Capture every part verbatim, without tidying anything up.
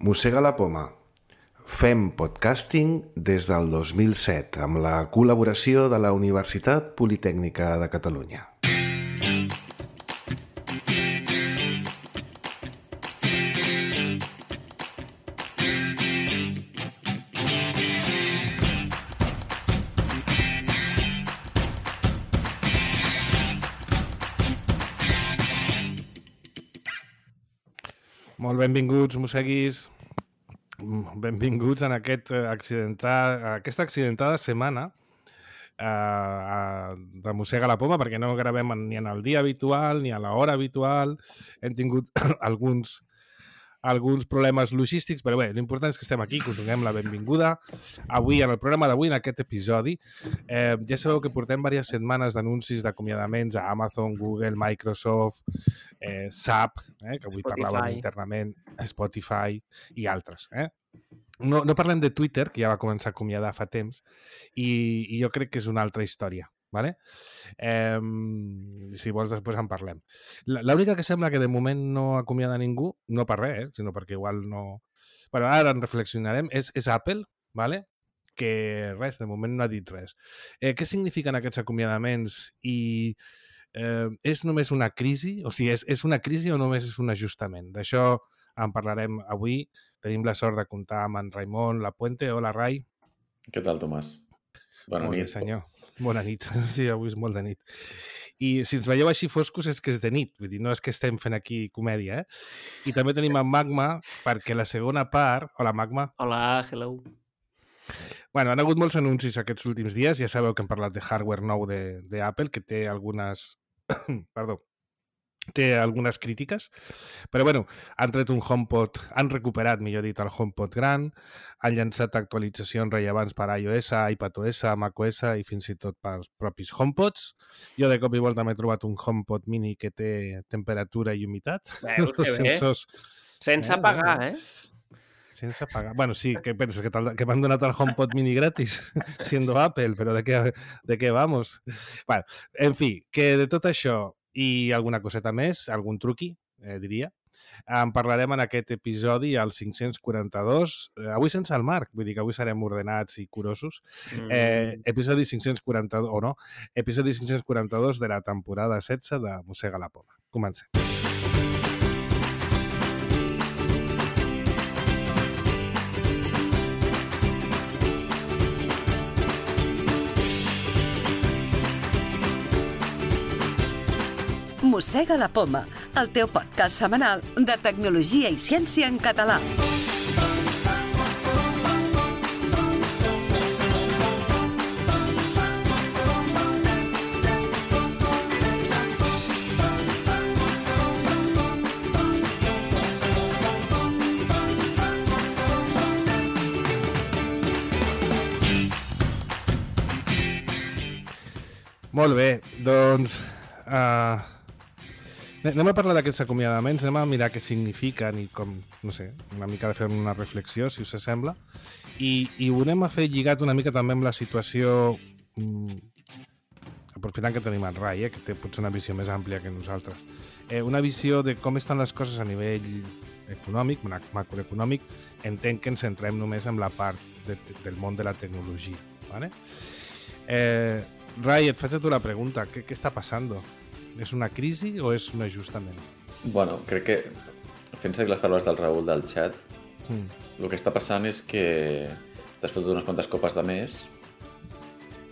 Mossega la poma. Fem podcasting des del dos mil set amb la col·laboració de la Universitat Politècnica de Catalunya. Molt benvinguts, mosseguis. Benvinguts en aquest accidentat, aquesta accidentada setmana eh, de Mossega la poma, perquè no gravem ni en el dia habitual ni a l'hora habitual. Hem tingut alguns, alguns problemes logístics, però bé, l'important és que estem aquí, que us donem la benvinguda. Avui, en el programa d'avui, en aquest episodi, eh, ja sabeu que portem diverses setmanes d'anuncis d'acomiadaments a Amazon, Google, Microsoft, eh, S A P, eh, que avui Spotify. parlàvem internament, Spotify i altres. Eh? No, no parlem de Twitter, que ja va començar a acomiadar fa temps, i, i jo crec que és una altra història. Vale? Eh, si vols després en parlem. L'única que sembla que de moment no acomiada ningú, no per res, eh, sinó perquè igual no... Bueno, ara en reflexionarem, és, és Apple, vale? Que res, de moment no ha dit res. Eh, què signifiquen aquests acomiadaments i eh, és només una crisi? O sigui, és, és una crisi o només és un ajustament? D'això en parlarem avui. Tenim la sort de comptar amb en Raimon Lapuente. Hola, Rai. Què tal, Tomàs? Bona Molt nit. bé, senyor. Bona nit. Sí, avui és molt de nit. I si ens veieu així foscos és que és de nit. Vull dir, no és que estem fent aquí comèdia, eh? I també tenim en Magma, perquè la segona part... Hola, Magma. Hola, hello. Bueno, han hagut molts anuncis aquests últims dies. Ja sabeu que hem parlat de hardware nou d'Apple, que té algunes... Perdó. Té algunes crítiques, però bueno, han tret un HomePod, han recuperat, millor dit, el HomePod gran, han llançat actualitzacions rellevants per iOS, iPadOS, macOS i fins i tot pels propis HomePods. Jo de cop i volta m'he trobat un HomePod mini que té temperatura i humitat. Veus que bé. Sensors... Sense Eh, pagar, bueno. eh? Sense pagar. Bueno, sí, què penses? Que, que m'han donat el HomePod mini gratis, siendo Apple, però de què, de què vamos? Bueno, en fi, que de tot això i alguna coseta més, algun truqui, eh, diria, en parlarem en aquest episodi, al cinc-cents quaranta-dos, eh, avui sense el Marc, vull dir que avui serem ordenats i curosos, eh, episodi cinc-cents quaranta-dos, o no, episodi cinc-cents quaranta-dos de la temporada setze de Mossega la poma. Comencem. Mossega la poma, el teu podcast setmanal de tecnologia i ciència en català. Molt bé, doncs... Uh... Anem a parlar d'aquests acomiadaments, anem a mirar què signifiquen i com, no sé, una mica de fer una reflexió, si us sembla, i, i ho anem a fer lligat una mica també amb la situació, mm, aprofitant que tenim el Rai, eh, que té potser una visió més àmplia que nosaltres, eh, una visió de com estan les coses a nivell econòmic, macroeconòmic. Entenc que ens centrem només en la part de, del món de la tecnologia, ¿vale? Eh, Rai, et faig a tu la pregunta, què, què està passant? És una crisi o és un ajustament? Bueno, crec que, fent seguir les paraules del Raül del xat, mm. el que està passant és que t'has fotut unes quantes copes de més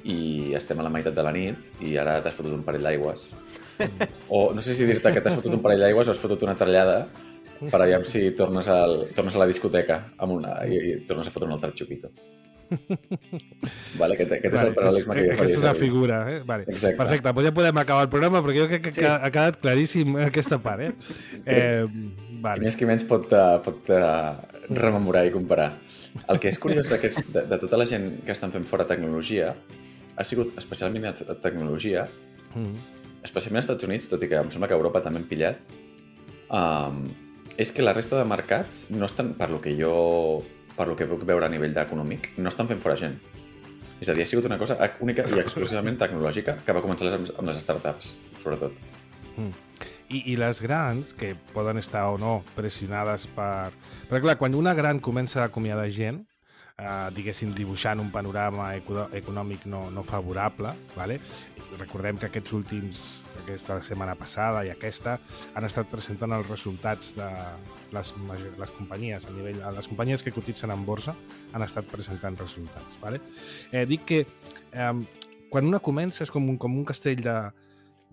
i estem a la meitat de la nit i ara t'has fotut un parell d'aigües. Mm. O no sé si dir-te que t'has fotut un parell d'aigües o has fotut una trallada per aviam si tornes, al, tornes a la discoteca amb una, i, i tornes a fotre un altre xupito. Vale, aquest, aquest vale, és el paral·lelisme que jo faria. Aquesta és una figura, eh? Vale. Perfecte, doncs ja podem acabar el programa perquè jo crec que sí. ha quedat claríssim aquesta part, eh? eh vale. Qui més qui menys pot, pot uh, rememorar i comparar. El que és curiós de, de tota la gent que estan fent fora tecnologia ha sigut especialment a tecnologia, mm. especialment als Estats Units, tot i que em sembla que a Europa també han pillat, um, és que la resta de mercats no estan, per lo que jo... per lo que puc veure a nivell econòmic, no estan fent fora gent. És a dir, ha sigut una cosa única i exclusivament tecnològica que va començar amb les startups, sobretot. Mm. I, I les grans, que poden estar o no pressionades per... Però clar, quan una gran comença a acomiadar gent, eh, diguéssim, dibuixant un panorama eco econòmic no, no favorable, ¿vale? Recordem que aquests últims, aquesta setmana passada i aquesta, han estat presentant els resultats de les, les companyies a nivell, les companyies que cotitzen en borsa han estat presentant resultats, ¿vale? Eh, dic que eh, quan una comença és com un, com un castell de,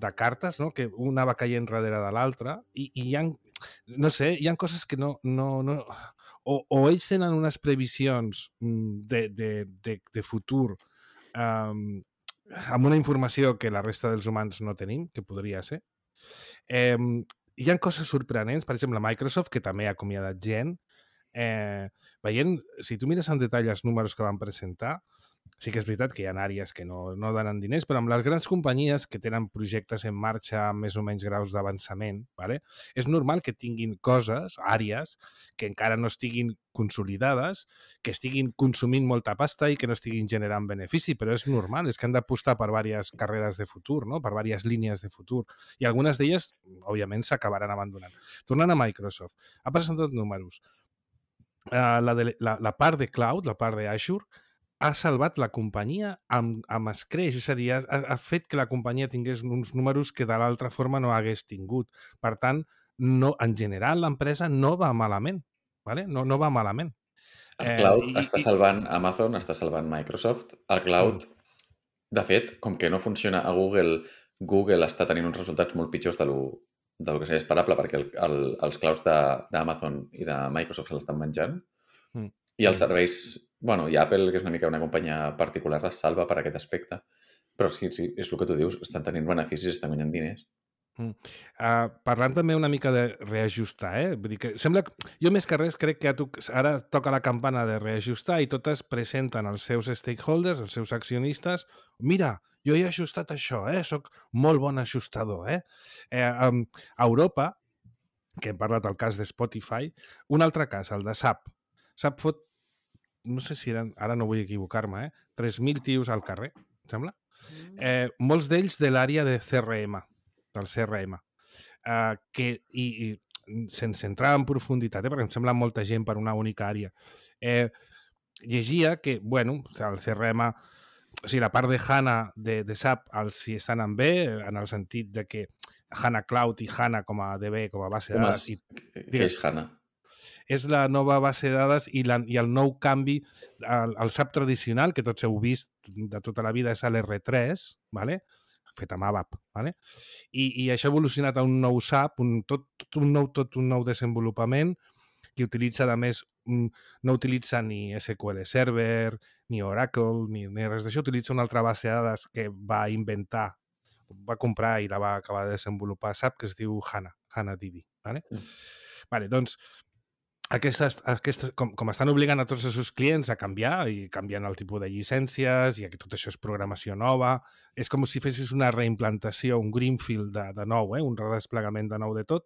de cartes, no? Que una va caient darrere de l'altra i, i hi ha, no sé, hi ha coses que no... no, no o, o ells tenen unes previsions de, de, de, de futur um, amb una informació que la resta dels humans no tenim, que podria ser. Eh, hi ha coses sorprenents, per exemple, Microsoft, que també ha acomiadat gent. Eh, veient, si tu mires en detall els números que van presentar, sí que és veritat que hi ha àrees que no, no donen diners, però amb les grans companyies que tenen projectes en marxa amb més o menys graus d'avançament, ¿vale? És normal que tinguin coses, àrees, que encara no estiguin consolidades, que estiguin consumint molta pasta i que no estiguin generant benefici, però és normal, és que han d'apostar per diverses carreres de futur, no? Per diverses línies de futur. I algunes d'elles, òbviament, s'acabaran abandonant. Tornant a Microsoft, ha presentat números. Uh, la, de, la, la part de cloud, la part d'Azure, ha salvat la companyia amb, amb escreix, és a dir, ha, ha fet que la companyia tingués uns números que de l'altra forma no hagués tingut. Per tant, no, en general, l'empresa no va malament, ¿vale? no, no va malament. El cloud eh, i, està salvant Amazon, està salvant Microsoft. El cloud, mm. de fet, com que no funciona a Google, Google està tenint uns resultats molt pitjors de lo, de lo que seria esperable, perquè el, el, els clouds d'Amazon i de Microsoft se l'estan menjant. Mm. I els serveis... Bueno, i Apple, que és una mica una companyia particular, les salva per aquest aspecte. Però sí, sí, és el que tu dius, estan tenint beneficis, estan guanyant diners. Mm. Uh, parlant també una mica de reajustar, eh? Vull dir que sembla... Jo més que res crec que ara toca la campana de reajustar i totes presenten els seus stakeholders, els seus accionistes. Mira, jo he ajustat això, eh? Soc molt bon ajustador, eh? eh um, a Europa, que hem parlat del cas de Spotify, un altre cas, el de S A P. S A P fot no sé si eren, ara no vull equivocar-me, eh? tres mil tios al carrer, em sembla? Eh, molts d'ells de l'àrea de C R M, del C R M, eh, que, i, i sense entrar en profunditat, eh, perquè em sembla molta gent per una única àrea, eh, llegia que, bueno, el C R M, o sigui, la part de HANA de, de S A P els hi estan en bé, en el sentit de que HANA Cloud i HANA com a D B, com a base de dades... I, què és HANA? És la nova base de dades i, la, i el nou canvi, el, el S A P tradicional, que tots heu vist de tota la vida, és l'R tres, ¿vale? Fet amb ABAP, ¿vale? I, i això ha evolucionat a un nou S A P, un, tot, tot, un nou, tot un nou desenvolupament que utilitza, a més, no utilitza ni S Q L Server, ni Oracle, ni, ni res d'això, utilitza una altra base de dades que va inventar, va comprar i la va acabar de desenvolupar S A P, que es diu HANA, HANADB, ¿vale? Mm. Vale, doncs, Aquestes, aquestes, com, com estan obligant a tots els seus clients a canviar i canviant el tipus de llicències i que tot això és programació nova, és com si fessis una reimplantació, un greenfield de, de nou, eh? Un redesplegament de nou de tot.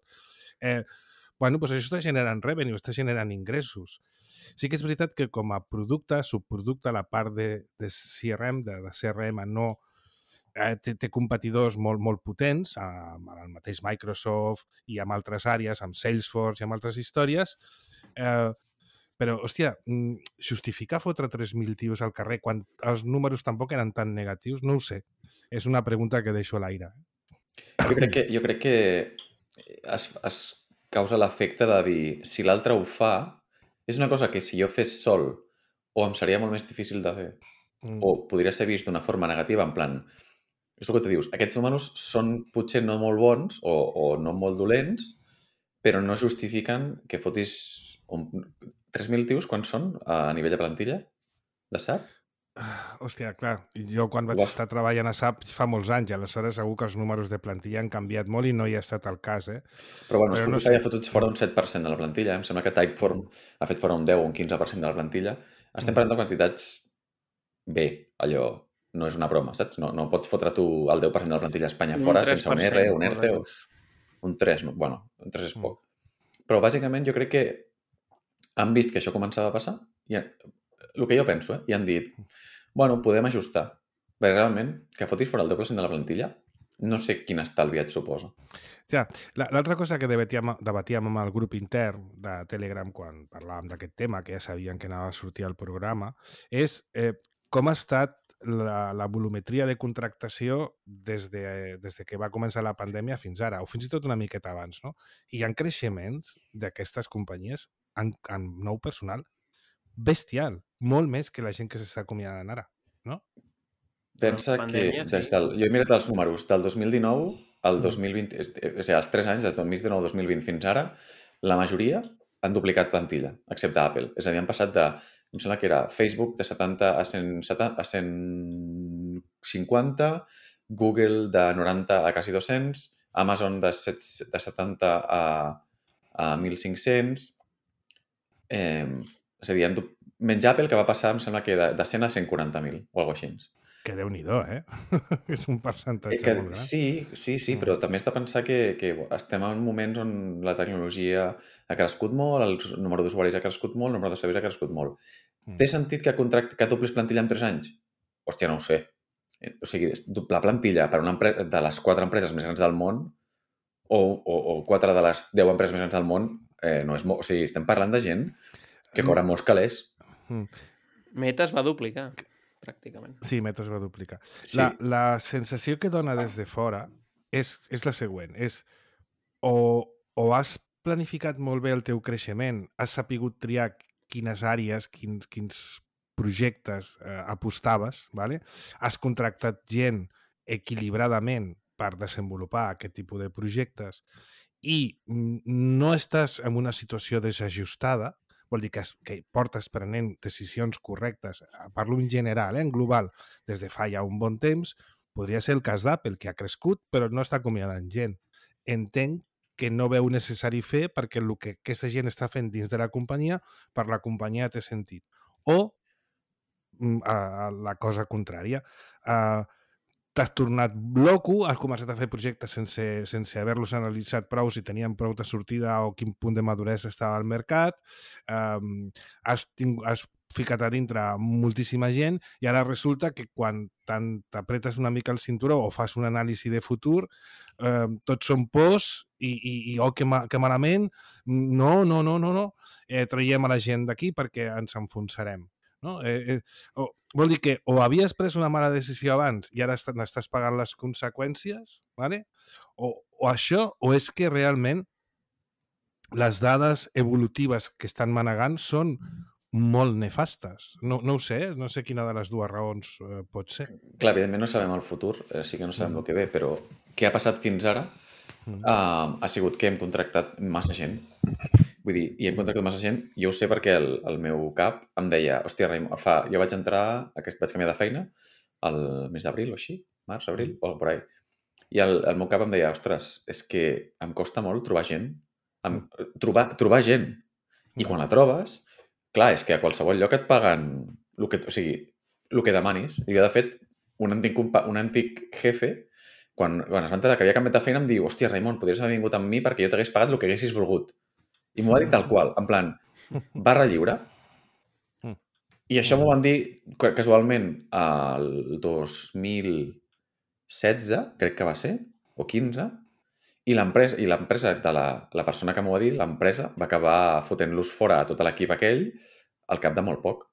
Eh, bueno, doncs això està generant revenue, està generant ingressos. Sí que és veritat que com a producte, subproducte, la part de, de C R M, de, de C R M, no... Eh, té, té competidors molt, molt potents, amb el mateix Microsoft i amb altres àrees, amb Salesforce i amb altres històries, eh, però, hòstia, justificar fotre tres mil tios al carrer quan els números tampoc eren tan negatius, no ho sé. És una pregunta que deixo a l'aire. Jo crec que, jo crec que es, es causa l'efecte de dir, si l'altre ho fa, és una cosa que si jo fes sol o em seria molt més difícil de fer, mm. o podria ser vist d'una forma negativa, en plan... És el que te dius, aquests números són potser no molt bons o, o no molt dolents, però no justifiquen que fotis un... tres mil tios, quan són a nivell de plantilla de S A P? Hòstia, clar, jo quan vaig Uaf. estar treballant a S A P fa molts anys, aleshores segur que els números de plantilla han canviat molt i no hi ha estat el cas, eh? Però bueno, Spotify no sé. ha fotut fora un set per cent de la plantilla, em sembla que Typeform ha fet fora un deu o un quinze per cent de la plantilla. Estem parlant de quantitats bé, allò... No és una broma, saps? No, no pots fotre tu el deu per cent de la plantilla a Espanya fora sense un R, un ERTE o un tres. Bueno, un tres és poc. Però bàsicament jo crec que han vist que això començava a passar i el que jo penso, eh? I han dit, bueno, podem ajustar. Perquè realment, que fotis fora el deu per cent de la plantilla no sé quin estalvi et suposa. Ja, l'altra cosa que debatíem, debatíem amb el grup intern de Telegram quan parlàvem d'aquest tema, que ja sabien que anava a sortir al programa, és eh, com ha estat la, la volumetria de contractació des de, des de que va començar la pandèmia fins ara, o fins i tot una miqueta abans, no? I hi ha creixements d'aquestes companyies en, en nou personal bestial, molt més que la gent que s'està acomiadant ara, no? Pensa pandèmia, que des sí. del, jo he mirat els números del dos mil dinou al dos mil vint, és- o sigui, els tres anys, des del dos mil dinou al dos mil vint fins ara, la majoria han duplicat plantilla, excepte Apple. És a dir, han passat de, em sembla que era Facebook de setanta a cent setanta, a cent cinquanta, Google de noranta a quasi dos-cents, Amazon de, set, de setanta a, a mil cinc-cents, eh, és a dir, han du- menys Apple, que va passar, em sembla que de, de cent a cent quaranta mil, o alguna cosa així. Que Déu-n'hi-do, eh? És un percentatge Eh, que, molt gran. sí, sí, sí, Mm. però també has de pensar que, que estem en moments on la tecnologia ha crescut molt, el número d'usuaris ha crescut molt, el número de serveis ha crescut molt. Mm. Té sentit que, contract, que doblis plantilla en tres anys? Hòstia, no ho sé. Eh, O sigui, doblar plantilla per una empresa de les quatre empreses més grans del món o, o, o quatre de les deu empreses més grans del món eh, no és molt... O sigui, estem parlant de gent que cobra molts calés. Mm. Meta es va duplicar, pràcticament. Sí, Meta es va duplicar. Sí. La, la sensació que dona des de fora és, és la següent. És o, o has planificat molt bé el teu creixement, has sapigut triar quines àrees, quins, quins projectes eh, apostaves, ¿vale? Has contractat gent equilibradament per desenvolupar aquest tipus de projectes i mm, no estàs en una situació desajustada, vol dir que, es, que portes prenent decisions correctes, parlo en general, eh, en global, des de fa ja un bon temps, podria ser el cas d'Apple, que ha crescut però no està acomiadant gent. Entenc que no veu necessari fer perquè el que aquesta gent està fent dins de la companyia, per la companyia té sentit. O mm, a, a la cosa contrària. Uh, T'has tornat loco, has començat a fer projectes sense, sense haver-los analitzat prou si tenien prou de sortida o quin punt de maduresa estava al mercat, um, has, tingut, has ficat a dintre moltíssima gent i ara resulta que quan t'apretes una mica el cinturó o fas un anàlisi de futur, eh, tots són pors i, i, i oh, que, ma, que malament, no, no, no, no, no. Eh, traiem a la gent d'aquí perquè ens enfonsarem. No? Eh, eh, o, vol dir que o havies pres una mala decisió abans i ara n'estàs pagant les conseqüències, ¿vale? o, o això, o és que realment les dades evolutives que estan manegant són molt nefastes. No, no ho sé, no sé quina de les dues raons eh, pot ser. Clar, evidentment no sabem el futur, eh, sí que no sabem Mm. el que ve, però què ha passat fins ara Mm. uh, ha sigut que hem contractat massa gent. Vull dir, i hem contractat massa gent, jo ho sé perquè el, el meu cap em deia, hòstia, Raimon, fa, jo vaig entrar, aquest, vaig canviar de feina el mes d'abril o així, març, abril, o por ahí. I el, el meu cap em deia, ostres, és que em costa molt trobar gent, em, trobar, trobar gent. I quan la trobes, clar, és que a qualsevol lloc et paguen el que, o sigui, el que demanis. I jo, de fet, un antic, compa- un antic jefe, quan, quan es va enterar que havia canviat de feina, em diu, hòstia, Raimon, podries haver vingut amb mi perquè jo t'hagués pagat el que haguessis volgut. I m'ho va dir tal qual, en plan, barra lliure. I això m'ho van dir ca- casualment el dos mil setze, crec que va ser, o quinze, i l'empresa i l'empresa de la, la persona que m'ho va dir, l'empresa va acabar fotent-los fora a tot l'equip aquell al cap de molt poc.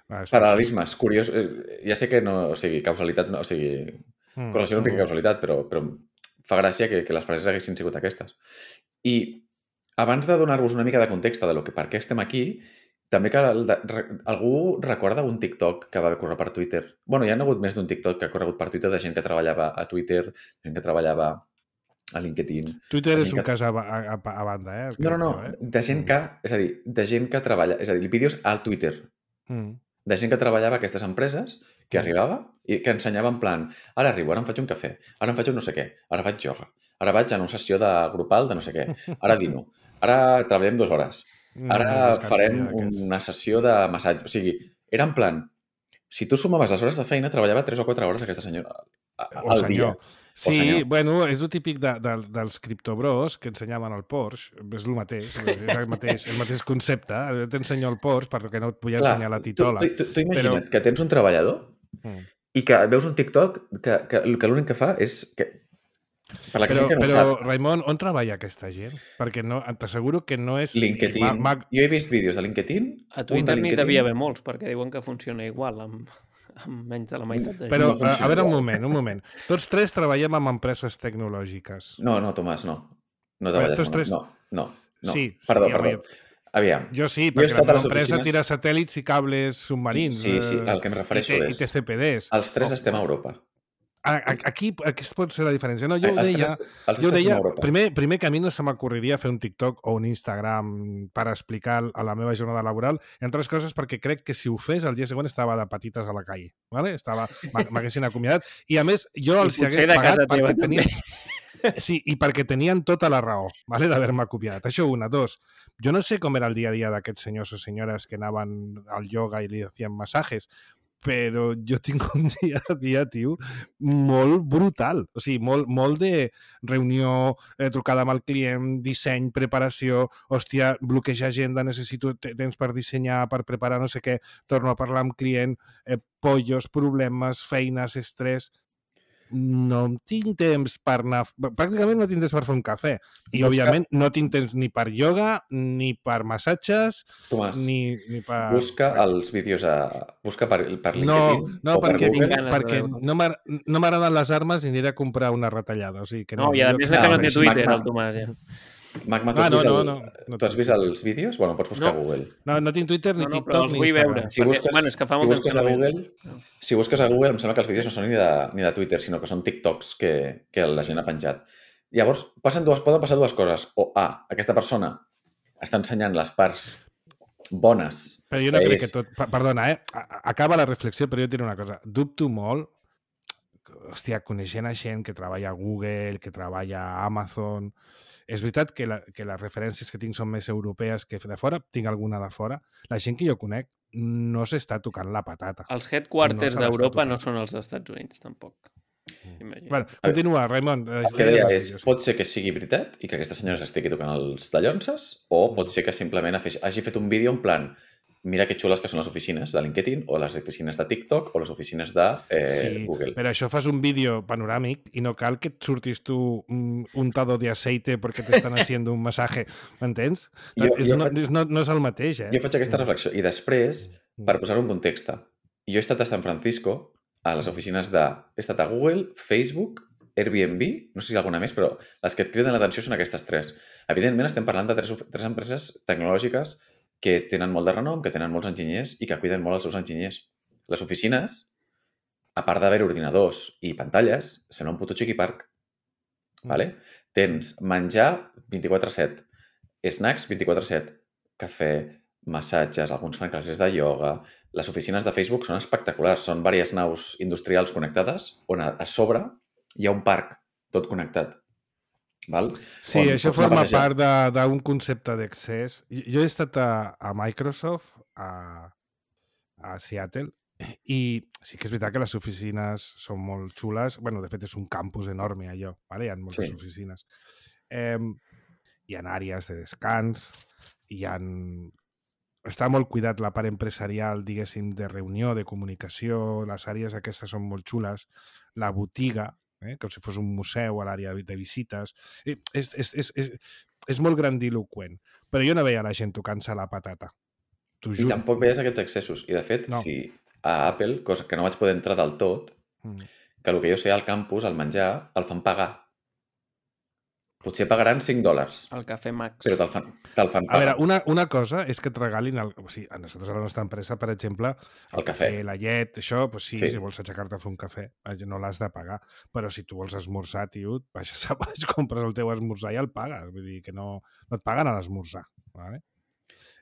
Ah, sí, Paral·lelismes, curiós. eh, Ja sé que no, o sigui, causalitat, no, o sigui, Mm, correlació no implica mm. causalitat, però, però fa gràcia que, que les frases haguessin sigut aquestes. I abans de donar-vos una mica de context de lo que, per què estem aquí, també que el de, re, algú recorda un TikTok que va córrer per Twitter? Bueno, hi ha hagut més d'un TikTok que ha corregut per Twitter de gent que treballava a Twitter, gent que treballava a LinkedIn. Twitter de és gent un que... cas a, a, a banda, eh? el No, no, no, cripto, eh? de gent que, és a dir, de gent que treballa, és a dir, vídeos al Twitter, Mm. de gent que treballava a aquestes empreses, que arribava i que ensenyava en plan, ara arribo, ara em faig un cafè, ara em faig un no sé què, ara faig ioga, ara vaig a una sessió de grupal de no sé què, ara dino, ara treballem dues hores, ara Mm, farem aquests. una sessió de massatge. O sigui, era en plan, si tu sumaves les hores de feina, treballava tres o quatre hores aquesta senyora a- O al dia. senyor. Sí, senyor. bueno, és el típic de, de, dels criptobros que ensenyaven el Porsche, és el mateix, és el mateix, el mateix concepte. Jo t'ensenyo el Porsche perquè no et vull Clar, ensenyar la tu, titola. tu, tu, tu imagina't però... que tens un treballador Mm. I que veus un TikTok que, que, que l'únic que fa és... Que, per la Però, gent que no però sap, Raimon, on treballa aquesta gent? Perquè no, t'asseguro que no és... LinkedIn... Ma, ma... Jo he vist vídeos de LinkedIn... A un Twitter de n'hi LinkedIn... devia haver molts, perquè diuen que funciona igual, amb, amb menys de la meitat de gent. Però, No a, funciona a veure, un igual. moment, un moment. Tots tres treballem amb empreses tecnològiques. No, no, Tomàs, no. No Però treballes tots amb... tres- No, no, no. Sí, perdó, sí, perdó. home, Aviam. Jo sí, Jo he perquè la estat a meva les empresa oficines- tira satèl·lits i cables submarins. Sí, sí, eh, al que em refereixo i, té- és- I T C P Ds. Els tres Oh, estem a Europa. a- a- Aquí, aquí pot ser la diferència. No, jo ho Els deia, tres, els jo ho tres estem deia a Europa. primer, primer que a mi no se m'ocorreria fer un TikTok o un Instagram per explicar a la meva jornada laboral, entre altres coses perquè crec que si ho fes el dia següent estava de patites a la calle. ¿vale? Estava, m'haguessin acomiadat. I a més, jo I els hi potser hagués de pagat casa teva perquè tenien... Sí, i perquè tenien tota la raó ¿vale? d'haver-me acomiadat. Això una. Dos, jo no sé com era el dia a dia d'aquests senyors o senyores que anaven al yoga i li hacien masajes, però jo tinc un dia a dia, tio, molt brutal. O sigui, molt, molt de reunió, eh, trucada amb el client, disseny, preparació, hòstia, bloquejar agenda, necessito temps per dissenyar, per preparar no sé què, torno a parlar amb client, eh, pollos, problemes, feines, estrès... No tinc temps per anar... Pràcticament no tinc temps per fer un cafè. I, Busca- òbviament, no tinc temps ni per ioga, ni per massatges, Tomàs, ni, ni per... busca els vídeos a... Busca per, per No, LinkedIn no, o per perquè, Google. Ganes de perquè veure. no m'agra- no m'agraden les armes i aniré a comprar una retallada. O sigui que No, no, i a jo- més de que no no, té és Twitter, magma. el Tomàs, ja. Magma, tu Ah, has no, vist, no, el... no, no tu has tinc vist Twitter. els vídeos? Bueno, pots buscar No. a Google. No, no tinc Twitter, ni No, no, però TikTok, els ni vull Instagram. veure. Si Perquè, busques, bueno, és que fa si molt temps busques que a no veig. Google, si busques a Google, em sembla que els vídeos no són ni de, ni de Twitter, sinó que són TikToks que, que la gent ha penjat. Llavors, passen dues, poden passar dues coses. O A, aquesta persona està ensenyant les parts bones. Però jo no que crec és- que tot... pa- Perdona, eh? A- a- Acaba la reflexió, però jo diré una cosa. Dubto molt, hòstia, coneixent a gent que treballa a Google, que treballa a Amazon... És veritat que, la, que les referències que tinc són més europees que de fora, tinc alguna de fora. La gent que jo conec no s'està tocant la patata. Els headquarters No se l'està d'Europa tocant. no són els Estats Units, tampoc. Imagina. Bueno, continua, Raimon. El que deia és, pot ser que sigui veritat i que aquesta senyora s'estigui tocant els dallonses, o pot ser que simplement hagi hagi fet un vídeo en plan mira que xules que són les oficines de LinkedIn o les oficines de TikTok o les oficines de eh, Sí, Google. però això fas un vídeo panoràmic i no cal que et surtis tu un untado de aceite perquè t'estan haciendo un masaje, m'entens? Jo- És, jo no, faig- és, no, no és el mateix, eh? Jo faig aquesta reflexió i després, per posar-ho en context, jo he estat a San Francisco a les oficines de... He estat a Google, Facebook, Airbnb, no sé si alguna més, però les que et criden l'atenció són aquestes tres. Evidentment estem parlant de tres, tres empreses tecnològiques que tenen molt de renom, que tenen molts enginyers i que cuiden molt els seus enginyers. Les oficines, a part d'haver ordinadors i pantalles, sembla un puto chiqui park. Vale? Tens menjar vint-i-quatre set, snacks vint-i-quatre set, cafè, massatges, alguns fan classes de ioga... Les oficines de Facebook són espectaculars. Són diverses naus industrials connectades on a, a sobre hi ha un parc tot connectat. Val? Sí, On això pots anar a forma passejar. part de- d'un concepte d'accés. Jo jo he estat a, a Microsoft, a, a Seattle, i sí que és veritat que les oficines són molt xules. Bueno, de fet, és un campus enorme, allò. Vale? Hi ha moltes Sí. oficines. Eh, hi ha àrees de descans, hi ha... Està molt cuidat la part empresarial, diguéssim, de reunió, de comunicació. Les àrees aquestes són molt xules. La botiga, eh? com si fos un museu a l'àrea de visites. Eh, És, és, és, és, és molt grandiloquent. Però jo no veia la gent tocant-se la patata. T'ho I juro. tampoc veies aquests accessos. I, de fet, No. si a Apple, cosa que no vaig poder entrar del tot, Mm. que el que jo sé al campus, al menjar, el fan pagar. Potser pagaran cinc dòlars, El Cafè Max. però te'l fan, te fan A veure, pagar. una, una cosa és que et regalin... El, o sigui, a nosaltres, a la nostra empresa, per exemple, el, El cafè. la llet, això, doncs sí, Sí. si vols aixecar-te a fer un cafè, eh, no l'has de pagar. Però si tu vols esmorzar, tio, baixes a baix, compres el teu esmorzar i el pagues. Vull dir que no, no et paguen a l'esmorzar. Vale?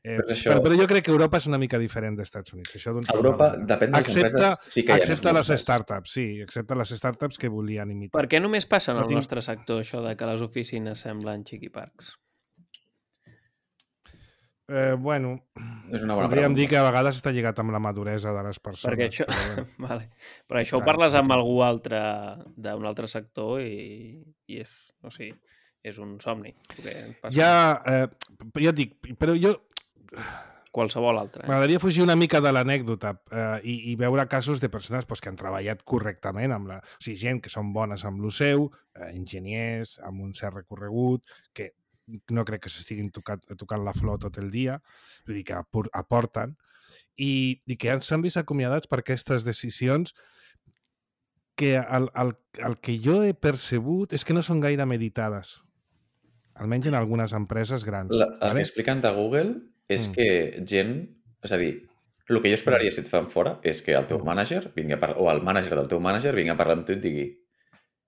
Eh, Però això- però, però jo crec que Europa és una mica diferent dels Estats Units. Això A Europa, depèn de les excepte, empreses, sí que hi ha excepte les esmorzars. startups, sí, excepte les startups que volien imitar. Per què només passa en No el tinc- nostre sector això de que les oficines semblen xiquiparcs? Eh, bueno, És una bona podríem pregunta. dir que a vegades està lligat amb la maduresa de les persones. Perquè això... però bueno. vale. Però això ho Clar, parles amb perquè- algú altre d'un altre sector i, i és, o sigui, és un somni. el que ens passa. Ja, eh, ja et dic, però jo... qualsevol altre. Eh? M'agradaria fugir una mica de l'anècdota eh, i, i veure casos de persones pues, que han treballat correctament, amb la... o sigui, gent que són bones amb lo seu, eh, enginyers, amb un cert recorregut, que no crec que s'estiguin tocant, tocant la flor tot el dia, vull dir que aporten, i, i que s'han vist acomiadats per aquestes decisions que el, el, el que jo he percebut és que no són gaire meditades, almenys en algunes empreses grans. La, el vale? que expliquen de Google és Mm. que gent... És a dir, el que jo esperaria si et fan fora és que el teu mànager vingui a parlar, o el mànager del teu mànager vingui a parlar amb tu i et digui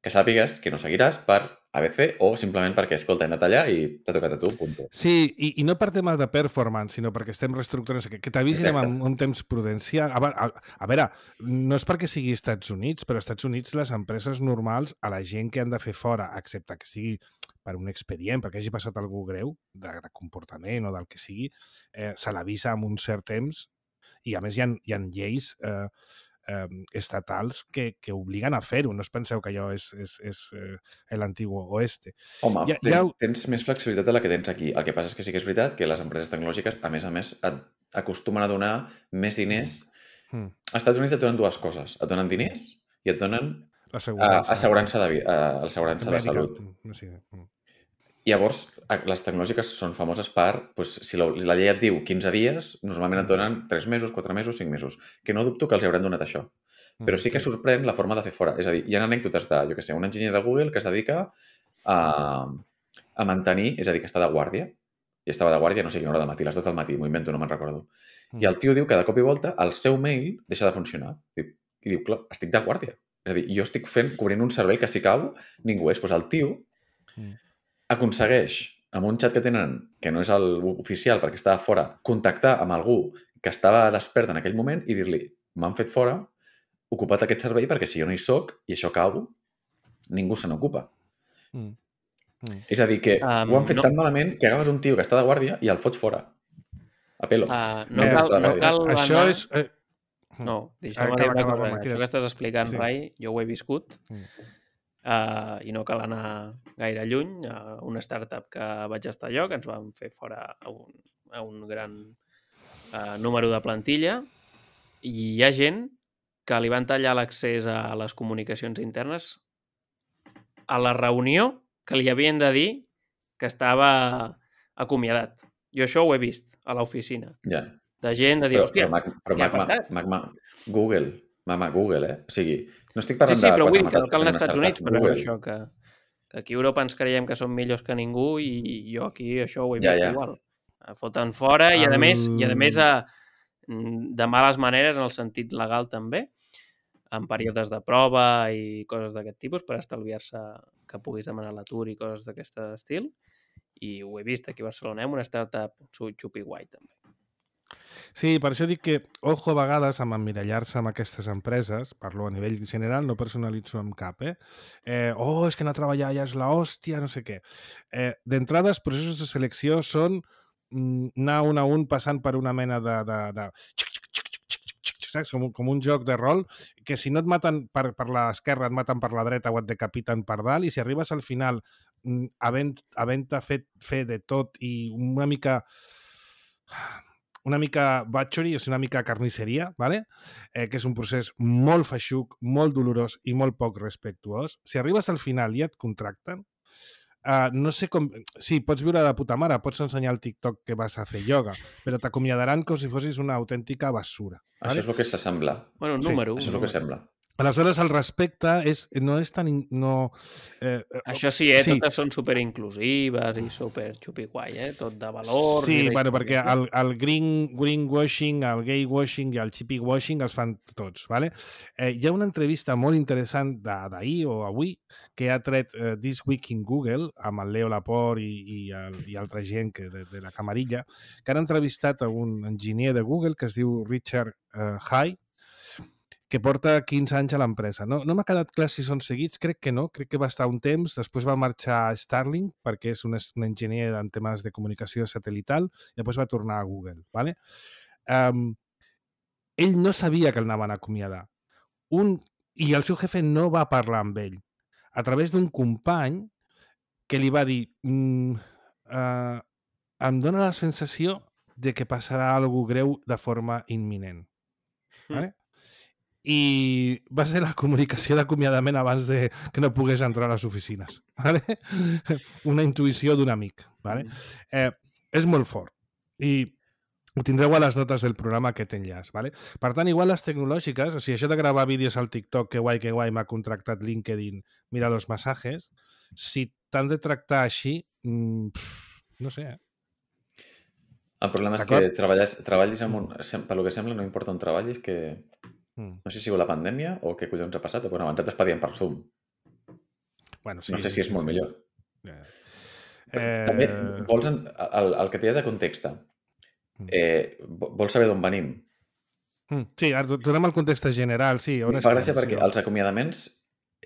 que sàpigues que no seguiràs per A B C o simplement perquè, escolta, hem de tallar i t'ha tocat a tu, punto. Sí, i, i no per tema de performance, sinó perquè estem reestructurant, que, que t'avisin Exacte. amb un temps prudencial. A, a, a veure, no és perquè sigui Estats Units, però als Estats Units les empreses normals, a la gent que han de fer fora, excepte que sigui per un expedient, perquè hagi passat algú greu, de, de comportament o del que sigui, eh, se l'avisa amb un cert temps i, a més, hi ha, hi ha lleis eh, eh, estatals que, que obliguen a fer-ho. No us penseu que allò és, és, és eh, l'antiguo oeste. Home, Ja- tens, ja- tens més flexibilitat de la que tens aquí. El que passa és que sí que és veritat que les empreses tecnològiques, a més a més, et acostumen a donar més diners. Mm. Als Estats Units et donen dues coses. Et donen diners i et donen uh, L'assegurança. assegurança, de, vi- uh, assegurança de Mèdica. salut. No sé. Mm. Llavors, a- les tecnològiques són famoses per, doncs, si la, la llei et diu quinze dies, normalment et donen tres mesos, quatre mesos, cinc mesos. Que no dubto que els hauran donat això. Però sí que sorprèn la forma de fer fora. És a dir, hi ha anècdotes de, jo què sé, un enginyer de Google que es dedica a, a mantenir, és a dir, que està de guàrdia. I estava de guàrdia, no sé quina hora del matí, les dues del matí, m'ho invento, no me'n recordo. I el tio diu que de cop i volta el seu mail deixa de funcionar. I, i diu, clar, estic de guàrdia. És a dir, jo estic fent, cobrint un servei que si cau, ningú és. Doncs el tio aconsegueix, amb un xat que tenen, que no és el oficial perquè estava fora, contactar amb algú que estava despert en aquell moment i dir-li, m'han fet fora, ocupat aquest servei perquè si jo no hi soc i això cau, ningú se n'ocupa. Mm. Mm. És a dir, que Um, ho han fet no. tan malament que agafes un tio que està de guàrdia i el fots fora. A pelo. Uh, no, Eh, cal, no eh, cal Això anar... és... Eh, No, Ah, deixa'm acaba, dir una acaba, cosa. home, Això queda- que estàs explicant, Sí. Rai, jo ho he viscut Mm. uh, i no cal anar gaire lluny. A una startup que vaig estar jo, que ens van fer fora a un, a un gran uh, número de plantilla, i hi ha gent que li van tallar l'accés a les comunicacions internes a la reunió que li havien de dir que estava acomiadat. Jo això ho he vist a l'oficina. Ja. De gent de dir, Però, hòstia, però, Mac, però què ha Mac, passat? Mac, Mac, Google, mama, Google, eh? O sigui, no estic Sí, parlant sí, de però vull quatre dir que no matats cal anar tenen als Estats Units, startups. però és Google. això, que, que aquí a Europa ens creiem que som millors que ningú i, i jo aquí això ho he Ja, vist ja. igual. Foten fora i, a El- més, i a més a, de males maneres en el sentit legal també, en períodes de prova i coses d'aquest tipus per estalviar-se que puguis demanar l'atur i coses d'aquest estil. I ho he vist aquí a Barcelona, amb una startup xupi guai també. Sí, per això dic que, ojo a vegades, amb emmirallar-se amb aquestes empreses, parlo a nivell general, no personalitzo amb cap, eh? eh oh, és que anar a treballar ja és la hòstia, no sé què. Eh, D'entrada, els processos de selecció són mm, anar un a un passant per una mena de... de, de... Saps? Com, un- com un joc de rol, que si no et maten per, per l'esquerra, et maten per la dreta o et decapiten per dalt, i si arribes al final mm, havent, havent fet fer de tot i una mica una mica butchery, o sigui, una mica carnisseria, ¿vale? eh, que és un procés molt feixuc, molt dolorós i molt poc respectuós. Si arribes al final i et contracten, uh, no sé com... Sí, pots viure de puta mare, pots ensenyar al TikTok que vas a fer ioga, però t'acomiadaran com si fossis una autèntica basura. Això ¿vale? és el que s'assembla. Bueno, un Sí, número. Això és un el que número. sembla. Aleshores, el respecte és, no és tan... in- No, eh, eh, Això sí, eh? Sí. Totes són superinclusives i super xupi-guai, eh? Tot de valors. Sí, i de bueno, perquè històries, no? el, el green, greenwashing, el gaywashing i el chippywashing els fan tots, ¿vale? Eh, hi ha una entrevista molt interessant de- d'ahir o avui que ha tret eh, This Week in Google amb el Leo Laporte i, i, el, i altra gent que de, de la camarilla, que han entrevistat a un enginyer de Google que es diu Richard eh, High, que porta quinze anys a l'empresa. No, no m'ha quedat clar si són seguits, crec que no, crec que va estar un temps, després va marxar a Starlink, perquè és un, un enginyer en temes de comunicació satelital, i després va tornar a Google. ¿Vale? Um, ell no sabia que el anaven a acomiadar. Un, I el seu jefe no va parlar amb ell. A través d'un company que li va dir mm, uh, em dóna la sensació de que passarà alguna greu de forma imminent. Vale? I va ser la comunicació d'acomiadament abans de que no pogués entrar a les oficines. Vale? Una intuïció d'un amic. Vale? Eh, és molt fort. I ho tindreu a les notes del programa aquest enllaç. Vale? Per tant, igual les tecnològiques, o sigui, això de gravar vídeos al TikTok, que guai, que guai, m'ha contractat LinkedIn, mira los masajes, si t'han de tractar així, mmm, no sé, eh? El problema és que treballes, treballis amb un... Per lo que sembla, no importa on treballis, que... No sé si ha sigut la pandèmia o què collons ha passat, però abans et despedien per Zoom. Bueno, sí, no sé sí, si és sí, molt sí. millor. Eh... També, vols en... el, el que t'hi ha de context, eh, vols saber d'on venim? Sí, donem el context general, sí. Em fa gràcia perquè els acomiadaments...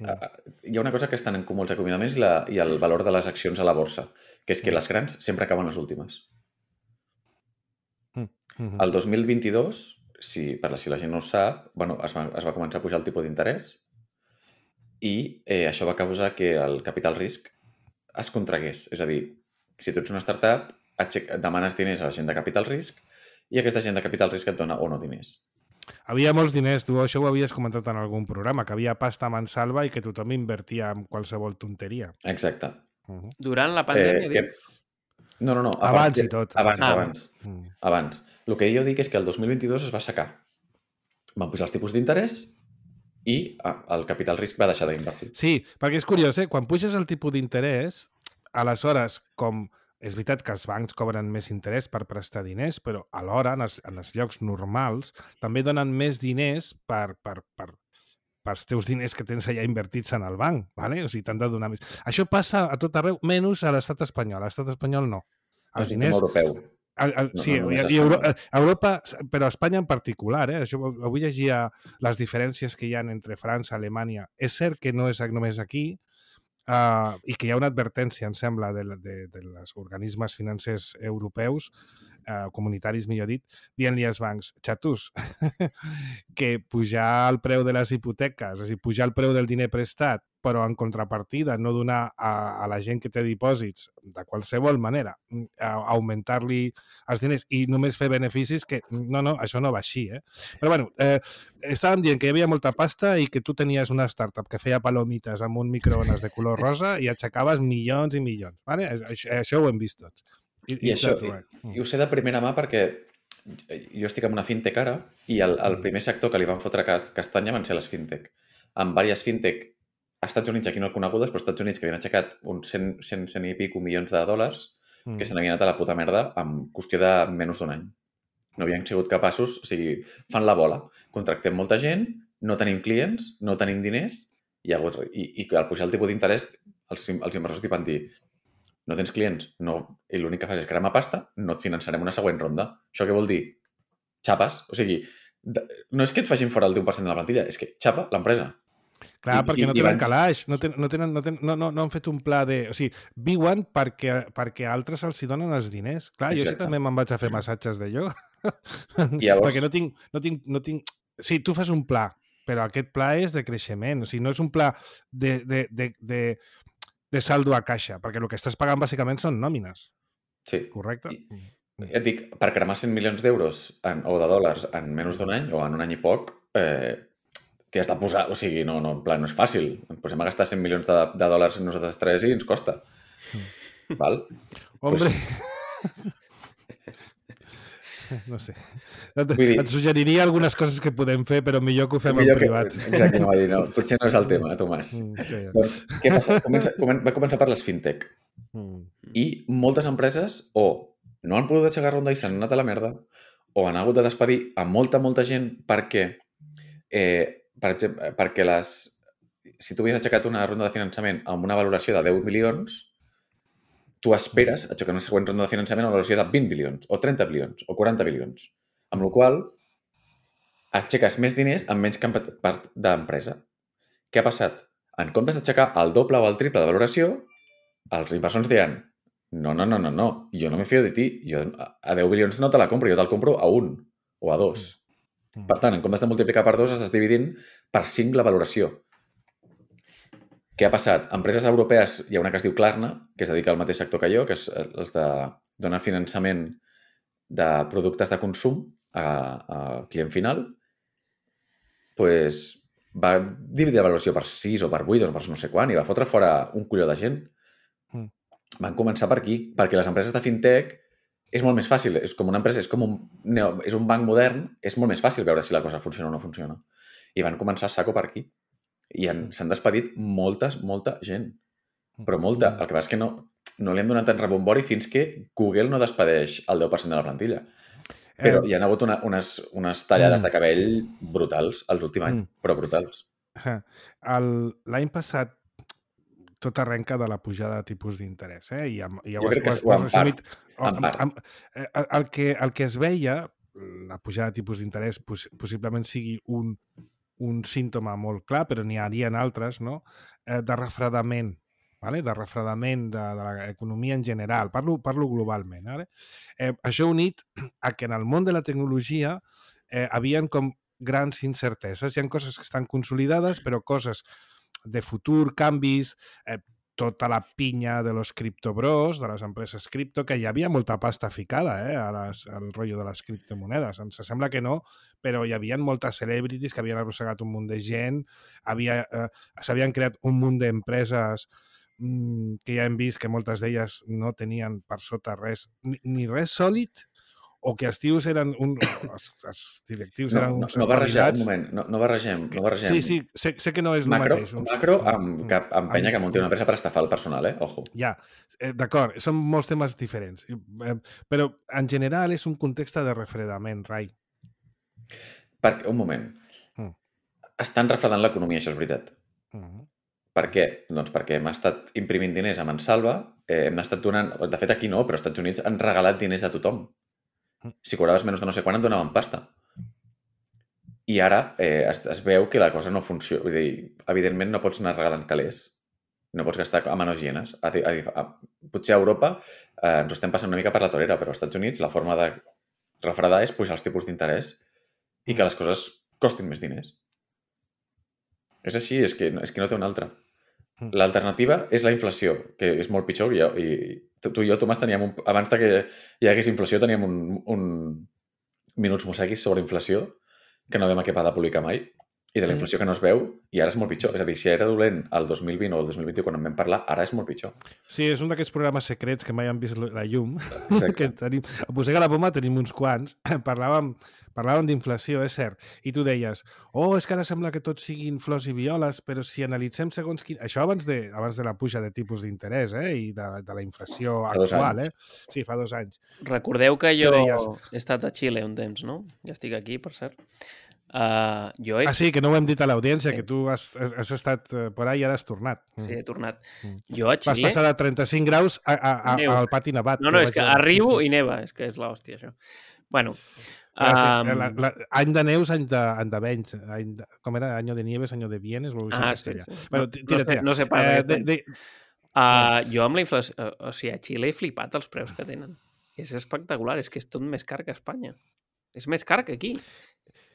Hi ha una cosa que estan en comú els acomiadaments i, la, i el valor de les accions a la borsa, que és que les grans sempre acaben les últimes. El dos mil vint-i-dos... Si, per la, si la gent no ho sap, bueno, es, va, es va començar a pujar el tipus d'interès i eh, això va causar que el capital risc es contragués. És a dir, si tu ets una startup, demanes diners a la gent de capital risc i aquesta gent de capital risc et dona o no diners. Havia molts diners, tu això ho havies comentat en algun programa, que havia pasta a mansalva i que tothom invertia en qualsevol tonteria. Exacte. Uh-huh. Durant la pandèmia, eh, que... No, no, no. Abans i tot. Abans, ah. abans. Mm. Abans. El que jo dic és que el dos mil vint-i-dos es va assecar. Van pujar els tipus d'interès i ah, el capital risc va deixar d'invertir. Sí, perquè és curiós, eh? Quan puges el tipus d'interès, aleshores, com és veritat que els bancs cobren més interès per prestar diners, però alhora, en els, en els llocs normals, també donen més diners per... per, per pels teus diners que tens allà invertits en el banc, ¿vale? O sigui, t'han de donar més. Això passa a tot arreu, menys a l'estat espanyol. A l'estat espanyol no. Els diners... europeu. El, el, sí, no, no i, i Europa, Europa, però a Espanya en particular, eh? Això, avui llegia les diferències que hi ha entre França i Alemanya. És cert que no és només aquí, uh, i que hi ha una advertència, em sembla, de, de, de els organismes financers europeus, Uh, comunitaris, millor dit, dient-li als bancs, xatus, que pujar el preu de les hipoteques, és a dir, pujar el preu del diner prestat, però en contrapartida no donar a, a la gent que té dipòsits de qualsevol manera, a, a augmentar-li els diners i només fer beneficis, que no, no, això no va així, eh? Però bueno, eh, estàvem dient que hi havia molta pasta i que tu tenies una startup que feia palomites amb un microones de color rosa i aixecaves milions i milions, ¿vale? Això, això ho hem vist tots. I, I això, i, i ho sé de primera mà perquè jo estic en una fintech ara i el, el primer sector que li van fotre castanya van ser les fintech. Amb diverses fintech a Estats Units, aquí no conegudes, però als Estats Units que havien aixecat uns cent, cent, cent i pico milions de dòlars mm. que se n'havien anat a la puta merda en qüestió de menys d'un any. No havien sigut capaços, o sigui, fan la bola. Contractem molta gent, no tenim clients, no tenim diners i, i, i al pujar el tipus d'interès els, els inversors t'hi van dir no tens clients, no, i l'únic que fas és cremar pasta, no et finançarem una següent ronda. Això què vol dir? Xapes. O sigui, de, no és que et facin fora el deu per cent de la plantilla, és que xapa l'empresa. Clar, I, perquè i, no tenen abans... calaix, no, ten, no, tenen, no, ten, no, no, no han fet un pla de... O sigui, viuen perquè, perquè altres els hi donen els diners. Clar, Exacte. Jo sí també me'n vaig a fer massatges de ioga. Llavors... perquè no tinc, no, tinc, no tinc... Sí, tu fas un pla, però aquest pla és de creixement. O sigui, no és un pla de... de, de, de de saldo a caixa, perquè el que estàs pagant bàsicament són nòmines. Sí. Correcte? I, ja et dic, per cremar cent milions d'euros o de dòlars en menys d'un any o en un any i poc, eh, t'hi has de posar, o sigui, no, no, en plan, no és fàcil. Ens posem a gastar cent milions de, de dòlars nosaltres tres i ens costa. Mm. Val? Hombre... Pues... No sé. Et, dir... et suggeriria algunes coses que podem fer, però millor que ho fem en privat. Que... Exacte, no va dir, no. Potser no és el tema, Tomàs. Mm, okay. Doncs, què passa? Comença, comen... Va començar per les fintech. Mm. I moltes empreses o no han pogut aixecar ronda i s'han anat a la merda, o han hagut de despedir a molta, molta gent perquè, eh, per exemple, perquè les... si tu havies aixecat una ronda de finançament amb una valoració de deu milions, tu esperes aixecar una següent ronda de finançament a una valoració de vint bilions, o trenta bilions, o quaranta bilions. Amb la qual aixeques més diners amb menys part d'empresa. Què ha passat? En comptes d'aixecar el doble o el triple de valoració, els inversors diran no, no, no, no, no, jo no me fio de ti, jo a deu bilions no te la compro, jo te'l compro a un o a dos. Per tant, en comptes de multiplicar per dos, estàs dividint per cinc la valoració. Què ha passat? Empreses europees, hi ha una que es diu Klarna, que es dedica al mateix sector que jo, que és els de donar finançament de productes de consum a, a client final, pues, va dividir la valoració per sis o per vuit o per no sé quan i va fotre fora un colló de gent. Mm. Van començar per aquí, perquè les empreses de fintech és molt més fàcil, és com una empresa, és com un, és un banc modern, és molt més fàcil veure si la cosa funciona o no funciona. I van començar a saco per aquí. I s'han despedit moltes, molta gent. Però molta. El que passa és que no, no li hem donat tant rebombori fins que Google no despedeix el deu per cent de la plantilla. Però hi ha hagut una, unes, unes tallades mm. de cabell brutals els últims anys, mm. però brutals. L'any passat tot arrenca de la pujada de tipus d'interès. Eh? I, i jo crec que ho en part. Amb, amb, el, que, el que es veia, la pujada de tipus d'interès poss possiblement sigui un, un símptoma molt clar, però n'hi havia altres, no? eh, de refredament, vale? de refredament de, de l'economia en general. Parlo, parlo globalment. Vale? Eh, això unit a que en el món de la tecnologia eh, havien com grans incerteses. Hi ha coses que estan consolidades, però coses de futur, canvis, eh, tota la pinya de los criptobros, de les empreses cripto, que hi havia molta pasta ficada eh, a les, al rotllo de les criptomonedes. Ens sembla que no, però hi havia moltes celebrities que havien arrossegat un munt de gent, havia, eh, s'havien creat un munt d'empreses mmm, que ja hem vist que moltes d'elles no tenien per sota res, ni, ni res sòlid, o que els tios eren un... Els, els directius no, eren no, uns no barregem, un moment, no, no barregem, no barregem. Sí, sí, sé, sé que no és el macro, mateix. Uns... Macro amb, que empenya que munti una empresa per estafar el personal, eh? Ojo. Ja, eh, d'acord, són molts temes diferents. Eh, però en general és un context de refredament, Rai. Perquè, un moment. Mm. Estan refredant l'economia, això és veritat. Mm. Per què? Doncs perquè hem estat imprimint diners a mansalva, eh, hem estat donant... De fet, aquí no, però als Estats Units han regalat diners a tothom. Si cobraves menys de no sé quan et donaven pasta. I ara eh, es, es veu que la cosa no funciona. Vull dir, evidentment no pots anar regalant calés. No pots gastar a manos llenes. A, a, a, potser a Europa eh, ens estem passant una mica per la torera, però als Estats Units la forma de refredar és pujar els tipus d'interès i que les coses costin més diners. És així, és que, és que no té una altra. L'alternativa és la inflació, que és molt pitjor. I, i tu i jo, Tomàs, teníem un, abans que hi hagués inflació, teníem un, un minuts mosseguis sobre inflació que no vam acabar de publicar mai, i de la inflació que no es veu, i ara és molt pitjor. És a dir, si era dolent el dos mil vint o el dos mil vint-i-u quan en vam parlar, ara és molt pitjor. Sí, és un d'aquests programes secrets que mai han vist la llum. Que tenim, a Posega la Poma tenim uns quants. Parlàvem, parlàvem d'inflació, és cert. I tu deies, oh, és que ara sembla que tot siguin flors i violes, però si analitzem segons quin... Això abans de, abans de la puja de tipus d'interès, eh? I de, de la inflació actual, eh? Sí, fa dos anys. Recordeu que jo deies... he estat a Xile un temps, no? Ja estic aquí, per cert. Uh, jo he... Ah, sí, que no ho hem dit a l'audiència, sí. Que tu has, has estat por ahí i ara has tornat. Sí, he tornat. Mm. Jo a Xile... Vas passar de trenta-cinc graus a, a, a, al pati nevat. No, no, és que arribo sí, sí. i neva, és que és l'hòstia, això. Bueno... Ah, sí. um... la, la, any de neus, any de, any de venys. Any de, com era? Año de nieves, año de bienes. Ah, sí, sí. Bueno, tira, tira. No sé, no sé pas. Eh, de, de... Uh, jo amb la inflació... Uh, o sigui, a Xile he flipat els preus que tenen. És espectacular, és que és tot més car que a Espanya. És més car que aquí.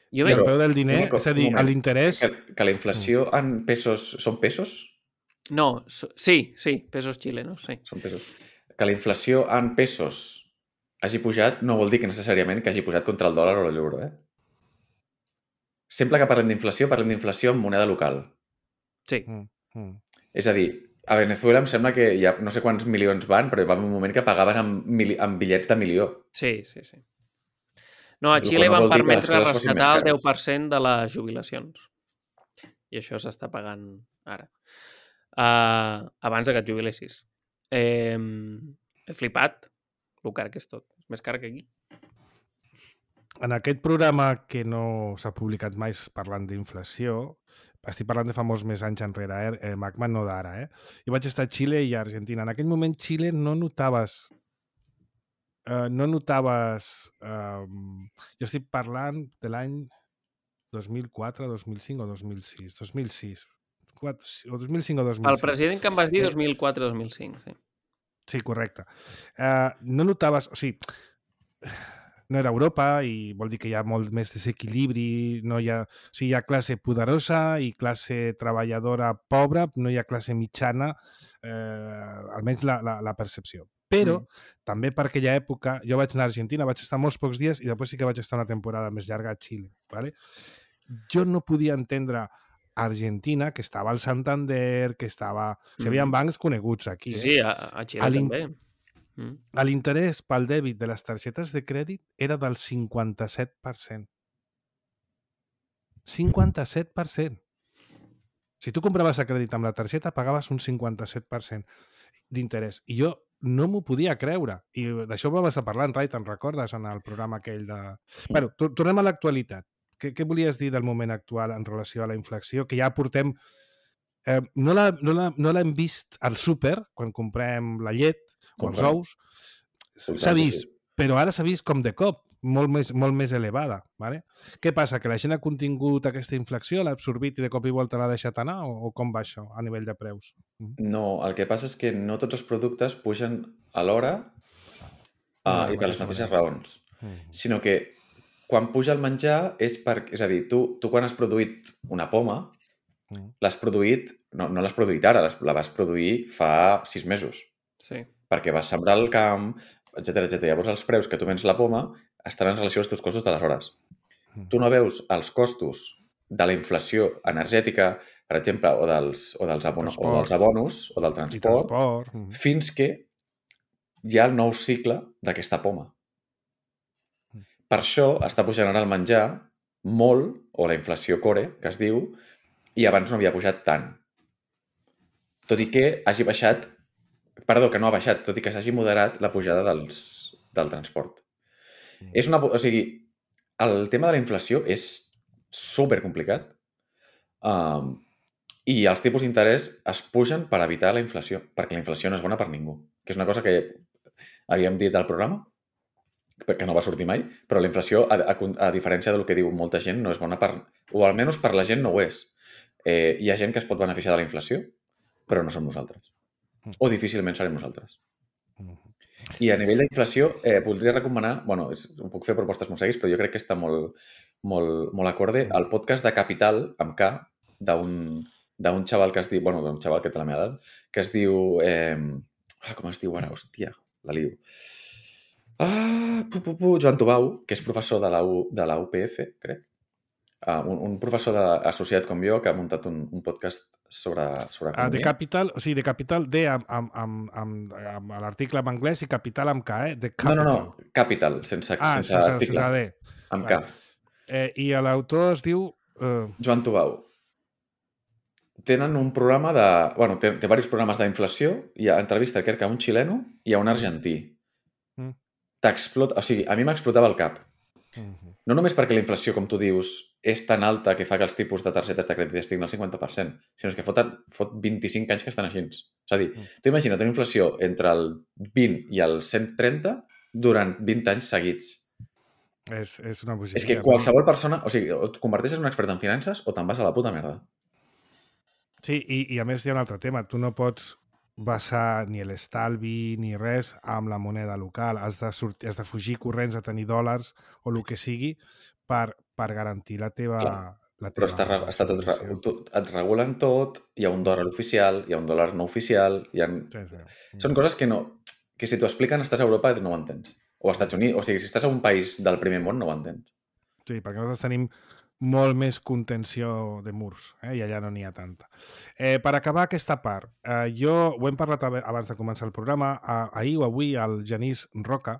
Jo veig... El preu del diner, no, és a dir, l'interès... Que, que la inflació en pesos... Són pesos? No, so, sí, sí, pesos chilenos, sí. Són pesos. Que la inflació en pesos hagi pujat no vol dir que necessàriament que hagi pujat contra el dòlar o l'euro, eh? Sempre que parlem d'inflació, parlem d'inflació en moneda local. Sí. Mm, mm. És a dir, a Venezuela em sembla que ja no sé quants milions van, però hi va haver un moment que pagaves amb, mili amb bitllets de milió. Sí, sí, sí. No, a Xile no van permetre rescatar el deu per cent de les jubilacions. I això s'està pagant ara. Uh, abans que et jubilessis. Eh, he flipat el car que és tot. És més car que aquí. En aquest programa que no s'ha publicat mai parlant d'inflació, estic parlant de fa molts més anys enrere, eh? Macman no d'ara, eh? Jo vaig estar a Xile i a Argentina. En aquell moment Xile no notaves... Uh, no notaves... Uh, jo estic parlant de l'any dos mil quatre, dos mil cinc o dos mil sis. dos mil sis. quatre, o dos mil cinc o dos mil sis. El president que em vas dir dos mil quatre dos mil cinc, sí. Sí, correcte. Uh, no notaves... O sigui, no era Europa i vol dir que hi ha molt més desequilibri, no hi ha... O sigui, hi ha classe poderosa i classe treballadora pobra, no hi ha classe mitjana, eh, almenys la, la, la percepció. Però, Mm. també per aquella època, jo vaig anar a Argentina, vaig estar molts pocs dies i després sí que vaig estar una temporada més llarga a Xile. ¿Vale? Jo no podia entendre Argentina, que estava al Santander, que estava... O sigui, hi havia Mm. bancs coneguts aquí. Sí, Eh? sí, a, a Xile A l'in- també. Mm. L'interès pel dèbit de les targetes de crèdit era del cinquanta-set per cent. cinquanta-set per cent. Si tu compraves a crèdit amb la targeta, pagaves un cinquanta-set per cent d'interès. I jo no m'ho podia creure. I d'això ho vas a parlar en Rai, te'n recordes, en el programa aquell de... Bueno, to- tornem a l'actualitat. Què, què volies dir del moment actual en relació a la inflació? Que ja portem... Eh, no la- no la- no l'hem vist al súper, quan comprem la llet o els Comprem. ous. S'ha Comprem, sí, vist, sí. però ara s'ha vist com de cop, molt més, molt més elevada. ¿Vale? Què passa? Que la gent ha contingut aquesta inflació, l'ha absorbit i de cop i volta l'ha deixat anar? O, o com va això a nivell de preus? Mm. No, el que passa és que no tots els productes pugen alhora No, uh, de i per la les mateixa mateixes manera. raons, Mm. sinó que quan puja el menjar és per... És a dir, tu, tu quan has produït una poma, Mm. l'has produït... No, no l'has produït ara, l'has- la vas produir fa sis mesos, Sí. perquè vas sembrar el camp, etcètera, etcètera. Llavors els preus que tu vens la poma estan en relació als teus costos d'aleshores. Mm. Tu no veus els costos de la inflació energètica, per exemple, o dels, o dels, abono, o dels Transport. abonos, o del I transport, transport. Mm. fins que hi ha el nou cicle d'aquesta poma. Per això està pujant ara el menjar molt, o la inflació core, que es diu, i abans no havia pujat tant. Tot i que hagi baixat, perdó, que no ha baixat, tot i que s'hagi moderat la pujada dels, del transport. Mm. És una, o sigui, el tema de la inflació és super complicat um, i els tipus d'interès es pugen per evitar la inflació, perquè la inflació no és bona per ningú, que és una cosa que havíem dit al programa, que no va sortir mai, però la inflació, a, a, a diferència del que diu molta gent, no és bona per... O almenys per la gent no ho és. Eh, hi ha gent que es pot beneficiar de la inflació, però no som nosaltres. O difícilment serem nosaltres. I a nivell d'inflació, eh, voldria recomanar... Bueno, és, puc fer propostes mosseguis, però jo crec que està molt, molt, molt acorde el podcast de Capital, amb K, d'un d'un xaval que es diu... Bueno, d'un xaval que té la meva edat, que es diu... Eh, ah, com es diu ara? Hòstia, la lio. Ah, pu, pu, pu, Joan Tubau, que és professor de la, U, de la U P F, crec. Uh, un, un professor de, associat com jo que ha muntat un, un podcast sobre, sobre Ah, de economia. Capital, o sigui, de Capital D amb, amb, amb, amb, amb l'article en anglès i Capital amb K, eh? De No, no, Capital. no, Capital, sense, Ah, sense, sense, article, sense D. amb Vale. K. Eh, I l'autor es diu... Eh, Joan Tubau. Tenen un programa de... Bueno, té, té diversos programes d'inflació. Hi ha entrevista, crec que a un xileno i a un argentí. Mm. T'explota... O sigui, a mi m'explotava el cap. mm, No només perquè la inflació, com tu dius, és tan alta que fa que els tipus de targetes de crèdit estiguin al cinquanta per cent, sinó que fot, fot vint-i-cinc anys que estan així. És a dir, tu imagina't una inflació entre el vint i el cent trenta durant vint anys seguits. és, és una bogeria. És que qualsevol persona... O sigui, o et converteixes en un expert en finances o te'n vas a la puta merda. Sí, i, i a més hi ha un altre tema. Tu no pots basar ni l'estalvi ni res amb la moneda local. Has de, sortir, has de fugir corrents a tenir dòlars o el que sigui per, per garantir la teva... Clar, la però teva està, re- està tot, re- subvenció. tot... Et regulen tot, hi ha un dòlar oficial, hi ha un dòlar no oficial, hi ha... Sí, sí. Són coses que no... que si t'ho expliquen estàs a Europa i no ho entens. O als Estats Units. O sigui, si estàs a un país del primer món no ho entens. Sí, perquè nosaltres tenim molt més contenció de murs, eh? I allà no n'hi ha tanta. Eh, per acabar aquesta part, eh, jo ho hem parlat ab- abans de començar el programa, eh, ahir o avui el Genís Roca,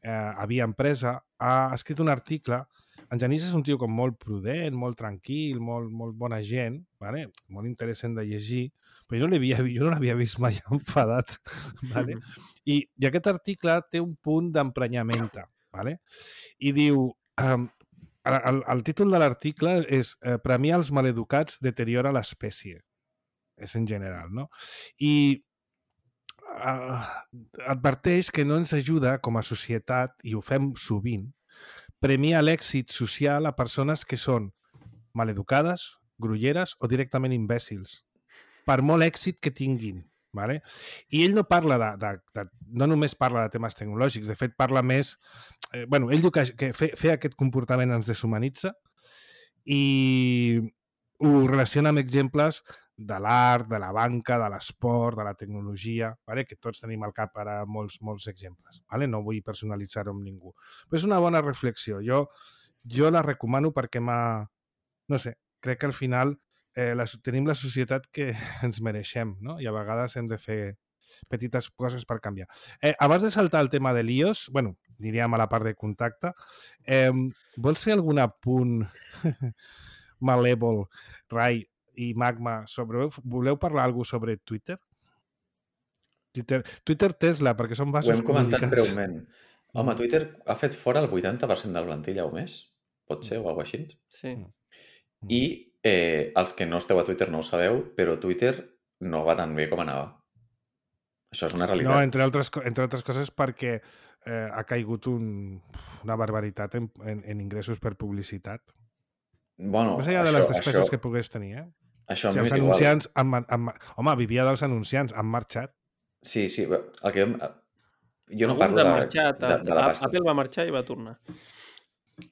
eh, a Via Empresa, ha escrit un article. En Genís és un tio com molt prudent, molt tranquil, molt, molt bona gent, vale? Molt interessant de llegir, però jo no l'havia jo no l'havia vist mai enfadat. Vale? I, I aquest article té un punt d'emprenyamenta. Vale? I diu... Um, el, el títol de l'article és eh, premiar els maleducats deteriora l'espècie. És en general, no? I uh, adverteix que no ens ajuda com a societat, i ho fem sovint, premiar l'èxit social a persones que són maleducades, grolleres o directament imbècils, per molt èxit que tinguin. Vale? I ell no parla de, de, de, no només parla de temes tecnològics, de fet parla més... Eh, bueno, ell diu que, que fer, fer aquest comportament ens deshumanitza i ho relaciona amb exemples de l'art, de la banca, de l'esport, de la tecnologia, vale? Que tots tenim al cap ara molts, molts exemples. Vale? No vull personalitzar-ho amb ningú. Però és una bona reflexió. Jo, jo la recomano perquè m'ha... No sé, crec que al final eh, la, tenim la societat que ens mereixem, no? I a vegades hem de fer petites coses per canviar. Eh, abans de saltar el tema de l'I O S, bueno, diríem a la part de contacte, eh, vols fer algun apunt malèvol, Rai i Magma, sobre... Voleu parlar alguna cosa sobre Twitter? Twitter, Twitter Tesla, perquè són vasos Ho hem comentat comunicats. breument. Home, Twitter ha fet fora el vuitanta per cent de la plantilla o més, pot ser, o alguna cosa així. Sí. I eh, els que no esteu a Twitter no ho sabeu, però Twitter no va tan bé com anava. Això és una realitat. No, entre altres, entre altres coses perquè eh, ha caigut un, una barbaritat en, en, en ingressos per publicitat. Bueno, Més enllà de això, les despeses això, que pogués tenir, eh? això O sigui, m'és els igual. anunciants... Han, han, home, vivia dels anunciants, han marxat. Sí, sí, el que... Jo no Algun parlo de de, marxat, de, de la pasta. Apple va marxar i va tornar.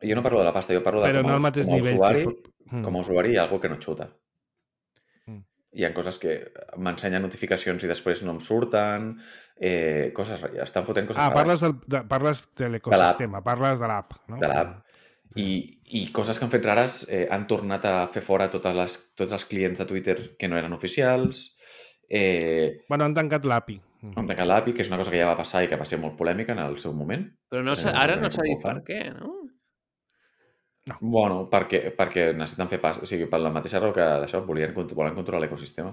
Jo no parlo de la pasta, jo parlo de Però com, no a, al mateix com a nivell usuari, que... Mm. com a usuari hi ha alguna que no xuta. Mm. Hi ha coses que m'ensenyen notificacions i després no em surten, eh, coses, estan fotent coses Ah, parles, rares. del, de, parles de l'ecosistema, parles de l'app, no? De l'app. I, I coses que han fet rares, eh, han tornat a fer fora totes les, tots els clients de Twitter que no eren oficials. Eh, Bueno, han tancat l'A P I. han tancat l'A P I, que és una cosa que ja va passar i que va ser molt polèmica en el seu moment. Però no, Eh, ara no no s'ha com dit ho fan. per què, no? Bueno, perquè, perquè necessiten fer pas, o sigui, per la mateixa raó que d'això volien, volen controlar l'ecosistema.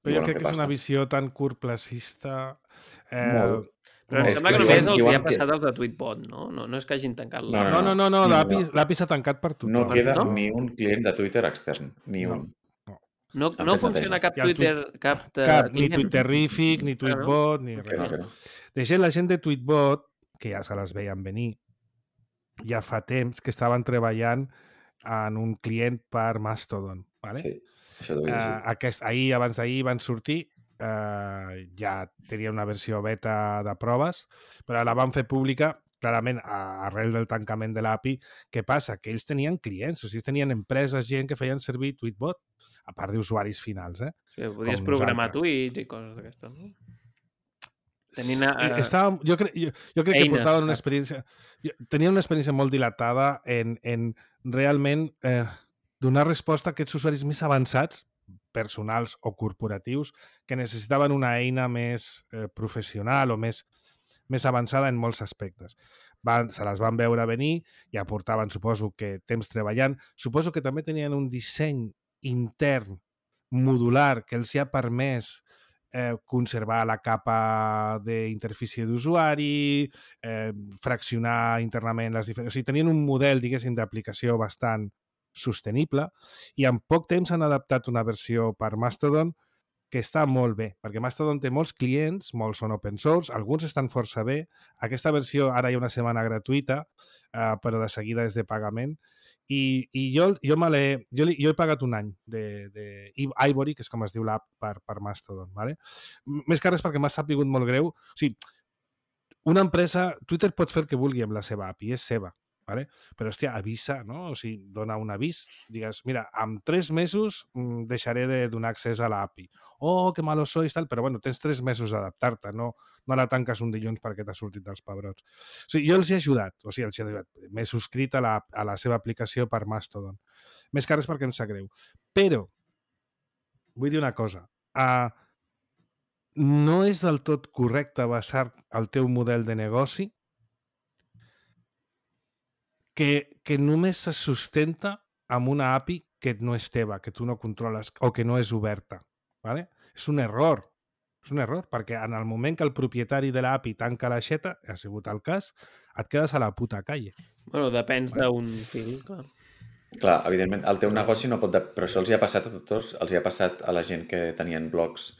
Però jo crec que és una visió tan curtplacista... Eh, Molt. Però em És sembla que que només diuen- el que diuen ha passat que- als de Tweetbot, no? No, no és que hagin tancat No, la... No, no, no, no, No, l'A P I, no. l'A P I s'ha tancat per tothom. No queda No? ni un client de Twitter extern, ni No. un. No, Han no fet funciona neteja. cap I el Twitter, cap de Cap, ni client? Twitterific, ni Ah, no? Tweetbot, ni Que no, res. que no. De gent, la gent de Tweetbot, que ja se les veien venir, ja fa temps que estaven treballant en un client per Mastodon. Vale? Sí, això ho he Uh, llegit. aquest, ahir, abans d'ahir, van sortir, uh, ja tenia una versió beta de proves, però la van fer pública, clarament, a, arrel del tancament de l'A P I. Què passa? Que ells tenien clients, o sigui, tenien empreses, gent que feien servir Tweetbot, a part d'usuaris finals, eh? Sí, podies Com programar nosaltres. tuits i coses d'aquestes, no? Tenint, uh, Estava, jo, crec, jo, jo crec que eines, portaven una clar. experiència... Jo, tenia una experiència molt dilatada en, en realment eh, donar resposta a aquests usuaris més avançats, personals o corporatius, que necessitaven una eina més eh, professional o més, més avançada en molts aspectes. Van, se les van veure venir i aportaven, suposo que temps treballant. Suposo que també tenien un disseny intern modular que els ha permès eh, conservar la capa d'interfície d'usuari, eh, fraccionar internament les diferents... O sigui, tenien un model, diguéssim, d'aplicació bastant sostenible i en poc temps han adaptat una versió per Mastodon que està molt bé, perquè Mastodon té molts clients, molts són open source, alguns estan força bé. Aquesta versió ara hi ha una setmana gratuïta, eh, però de seguida és de pagament. I, i jo, jo, me l'he, jo, jo he pagat un any de, de Ivory, que és com es diu l'app per, per Mastodon. ¿Vale? Més que res perquè m'ha sapigut molt greu. O sigui, una empresa, Twitter pot fer el que vulgui amb la seva A P I, és seva. ¿Vale? Però, hòstia, avisa, no? O sigui, dona un avís, digues, mira, en tres mesos mm, deixaré de donar accés a l'A P I. Oh, que malo sois, tal, però bueno, tens tres mesos d'adaptar-te, no, no la tanques un dilluns perquè t'ha sortit dels pebrots. O sigui, jo els he ajudat, o sigui, els he ajudat. M'he subscrit a la, a la seva aplicació per Mastodon. Més que res perquè em sap greu. Però, vull dir una cosa, uh, no és del tot correcte basar el teu model de negoci que, que només se sustenta amb una A P I que no és teva, que tu no controles o que no és oberta. ¿Vale? És un error. És un error, perquè en el moment que el propietari de l'A P I tanca l'aixeta, ha sigut el cas, et quedes a la puta calle. Bueno, depèns Vale. d'un fil, clar. Clar, evidentment, el teu negoci no pot... De... Però això els hi ha passat a tots, els hi ha passat a la gent que tenien blogs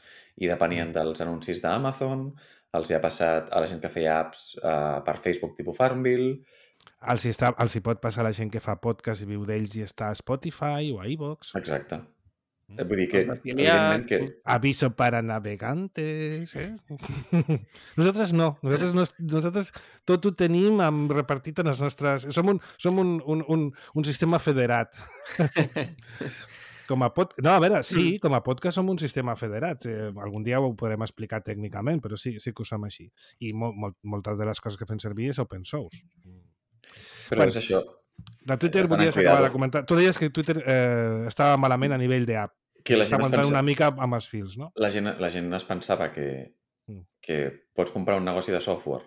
i depenien dels anuncis d'Amazon, els hi ha passat a la gent que feia apps uh, per Facebook tipus Farmville... Els hi, està, els hi pot passar a la gent que fa podcast i viu d'ells i està a Spotify o a iVoox. Exacte. Vull dir que, Els afiliats, evidentment, que... Aviso para navegantes, eh? Nosaltres no. Nosaltres, no, nosaltres tot ho tenim amb, repartit en les nostres... Som un, som un, un, un, un sistema federat. Com a pod... No, a veure, sí, com a podcast som un sistema federat. Eh, algun dia ho podrem explicar tècnicament, però sí, sí que ho som així. I mol, mol, moltes de les coses que fem servir és open source. Però bueno, és això. De Twitter volies acabar de comentar. Tu deies que Twitter eh, estava malament a nivell d'app. Que la gent està aguantant pensa... una mica amb els fils, no? La gent, la gent es pensava que, que pots comprar un negoci de software,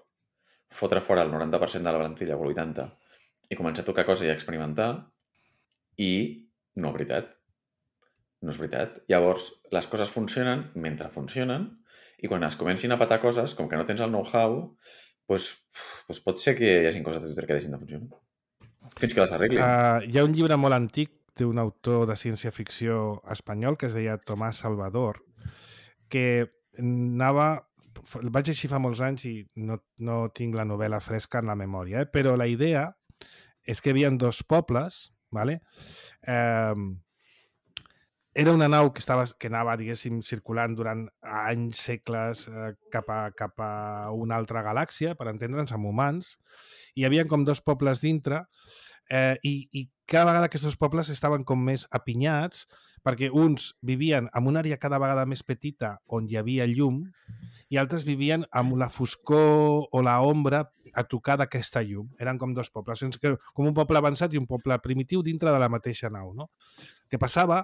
fotre fora el noranta per cent de la plantilla o el vuitanta per cent i començar a tocar coses i a experimentar, i no és veritat. No és veritat. Llavors, les coses funcionen mentre funcionen, i quan es comencin a patar coses, com que no tens el know-how, doncs, doncs pot ser que hi hagi coses de Twitter que deixin de funcionar. Fins que les arreglin. Uh, hi ha un llibre molt antic d'un autor de ciència-ficció espanyol que es deia Tomàs Salvador, que anava... El vaig llegir fa molts anys i no, no tinc la novel·la fresca en la memòria, eh? Però la idea és que hi havia dos pobles, ¿vale? Eh, era una nau que, estava, que anava, diguéssim, circulant durant anys, segles, eh, cap, a, cap a una altra galàxia, per entendre'ns, amb humans, i hi havia com dos pobles dintre, eh, i, i cada vegada aquests dos pobles estaven com més apinyats, perquè uns vivien en una àrea cada vegada més petita on hi havia llum i altres vivien amb la foscor o la ombra a tocar d'aquesta llum. Eren com dos pobles, com un poble avançat i un poble primitiu dintre de la mateixa nau, no? El que passava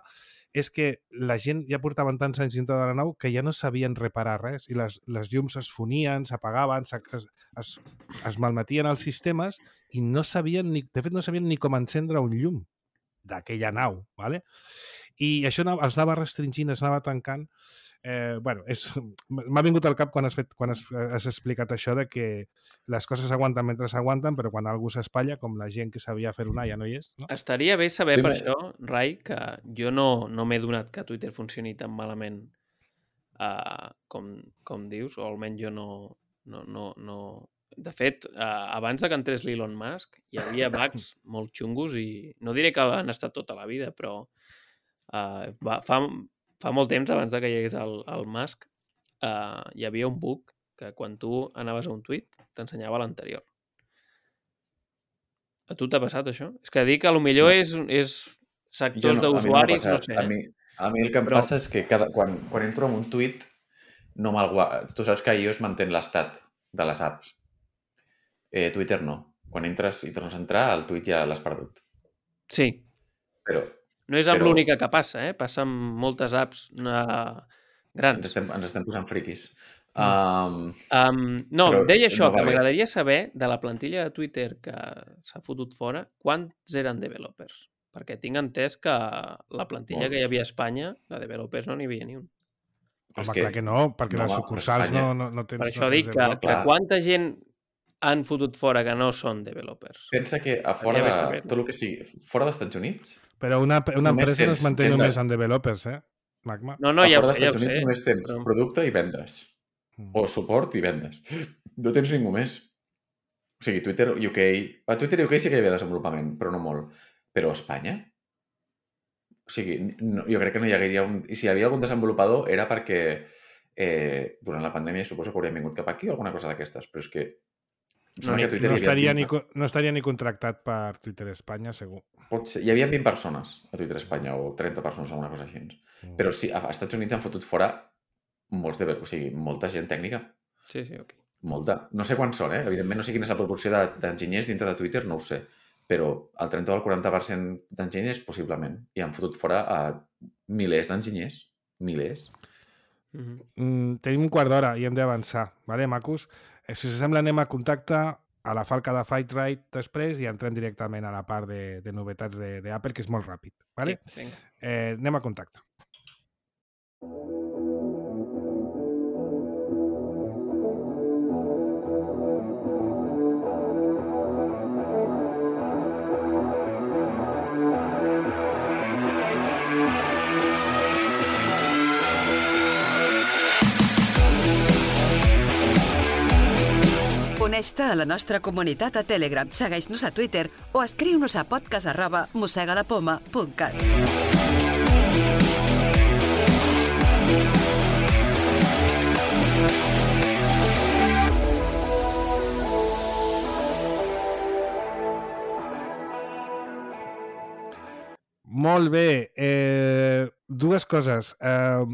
és que la gent ja portaven tants anys dintre de la nau que ja no sabien reparar res i les, les llums es fonien, s'apagaven, es, es, es malmetien els sistemes i no sabien, ni, de fet no sabien ni com encendre un llum d'aquella nau, ¿vale? I això es anava restringint, es anava tancant. Eh, bueno, m'ha vingut al cap quan has, fet, quan has, has explicat això de que les coses s'aguanten mentre s'aguanten, però quan algú s'espatlla, com la gent que sabia fer una ja no hi és. No? Estaria bé saber sí, per això, Rai, que jo no, no m'he donat que Twitter funcioni tan malament uh, com, com dius, o almenys jo no... no, no, no... De fet, uh, abans de que entrés l'Elon Musk, hi havia bugs molt xungos i no diré que han estat tota la vida, però uh, va, fa... Fa molt temps, abans de que hi hagués el, el Musk, uh, hi havia un bug que quan tu anaves a un tuit t'ensenyava l'anterior. A tu t'ha passat això? És que dic que potser no. és, és sectors no, d'usuaris, no, no sé. A mi, a mi el que em Però... passa és que cada, quan, quan entro en un tuit, no me'l guarda. Tu saps que iOS manté l'estat de les apps. Eh, Twitter no. Quan entres i tornes a entrar, el tuit ja l'has perdut. Sí. Però... No és amb Però... l'única que passa, eh? Passa amb moltes apps uh, grans. Ens estem, ens estem posant friquis. Um, um, no, però deia això, no que m'agradaria saber de la plantilla de Twitter que s'ha fotut fora, quants eren developers? Perquè tinc entès que la plantilla Molts. que hi havia a Espanya, de developers no n'hi havia ni un. Home, que... clar que no, perquè no, les sucursals no, no, no tens... Per això no dic que, que quanta gent han fotut fora que no són developers. Pensa que a fora de tot el que sigui, fora dels Estats Units... Però una, una empresa no es manté només de... en developers, eh, Magma? No, no, ja a fora ho sé, dels Estats Units només tens però... producte i vendes. Mm. O suport i vendes. No tens ningú més. O sigui, Twitter U K... A Twitter U K sí que hi havia desenvolupament, però no molt. Però a Espanya? O sigui, no, jo crec que no hi hauria un... I si hi havia algun desenvolupador era perquè eh, durant la pandèmia suposo que haurien vingut cap aquí o alguna cosa d'aquestes, però és que No, ni, no, estaria ni, no estaria ni contractat per Twitter Espanya, segur. Pot ser. Hi havia vint persones a Twitter Espanya o trenta persones o alguna cosa així. Mm. Però sí, a Estats Units han fotut fora molts de... O sigui, molta gent tècnica. Sí, sí, ok. Molta. No sé quants són, eh? Evidentment no sé quina és la proporció d'enginyers dintre de Twitter, no ho sé. Però el trenta o el quaranta per cent d'enginyers, possiblement. I han fotut fora a milers d'enginyers. Milers. Mm-hmm. Mm, tenim un quart d'hora i hem d'avançar. Vale, macos? Si us sembla, anem a contacte a la falca de Fightright després i entrem directament a la part de, de novetats d'Apple, que és molt ràpid. Vale? Sí, eh, anem a contacte. Uneix-te a la nostra comunitat a Telegram, segueix-nos a Twitter o escriu-nos a podcast arroba mossegalapoma punt cat. Molt bé. Eh, dues coses. Eh,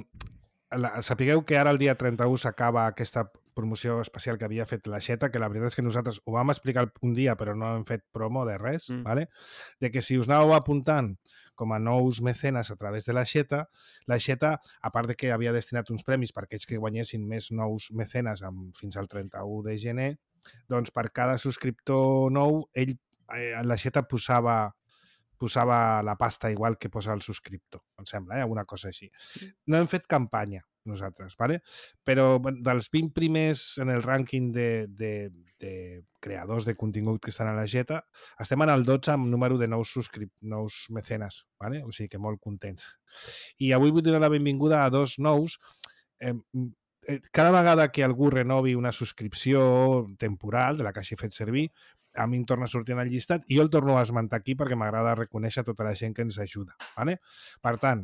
la, sapigueu que ara el dia trenta-u s'acaba aquesta promoció especial que havia fet l'Aixeta, que la veritat és que nosaltres ho vam explicar un dia, però no hem fet promo de res, mm. ¿vale? De que si us anàveu apuntant com a nous mecenes a través de l'Aixeta, l'Aixeta, a part de que havia destinat uns premis per aquells que guanyessin més nous mecenes amb, fins al trenta-u de gener, doncs per cada subscriptor nou, ell, eh, l'Aixeta posava posava la pasta igual que posa el subscriptor, em sembla, eh? Alguna cosa així. No hem fet campanya, nosaltres, ¿vale? Però dels vint primers en el rànquing de, de, de creadors de contingut que estan a l'Aixeta, estem en el dotze amb número de nous, subscrip nous mecenes, ¿vale? O sigui que molt contents. I avui vull donar la benvinguda a dos nous. Eh, cada vegada que algú renovi una subscripció temporal de la que hagi fet servir, a mi em torna a sortir en el llistat i jo el torno a esmentar aquí perquè m'agrada reconèixer tota la gent que ens ajuda. ¿Vale? Per tant,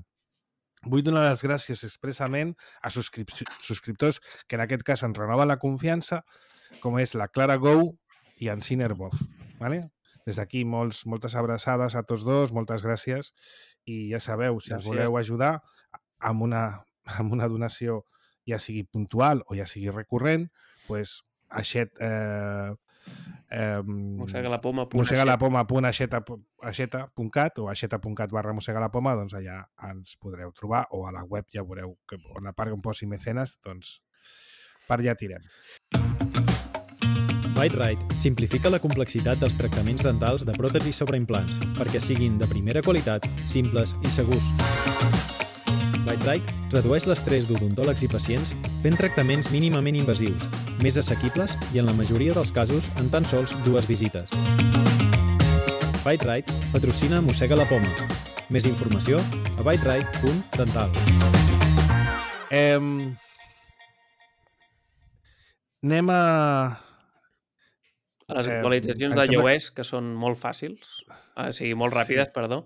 vull donar les gràcies expressament a subscrip subscriptors que en aquest cas ens renoven la confiança, com és la Clara Gou i en Cinerbov. ¿Vale? Des d'aquí molts, moltes abraçades a tots dos, moltes gràcies i ja sabeu, si gràcies. Ens voleu ajudar amb una, amb una donació ja sigui puntual o ja sigui recurrent, doncs aixet... Eh, Eh, mosegalapoma punt axeta punt cat o axeta punt cat barra mosegalapoma, doncs allà ens podreu trobar, o a la web ja veureu que on la part on posi mecenes, doncs per allà tirem. Bite-Rite simplifica la complexitat dels tractaments dentals de pròtesis sobre implants perquè siguin de primera qualitat, simples i segurs. Bite-Rite redueix l'estrès d'odontòlegs i pacients fent tractaments mínimament invasius, més assequibles i en la majoria dels casos en tan sols dues visites. Bite-Rite patrocina Mossega la Poma. Més informació a bite-rite punt dental. Eh, anem a... A les actualitzacions eh, d'iOS, que són molt fàcils, o sigui, molt ràpides, sí. Perdó.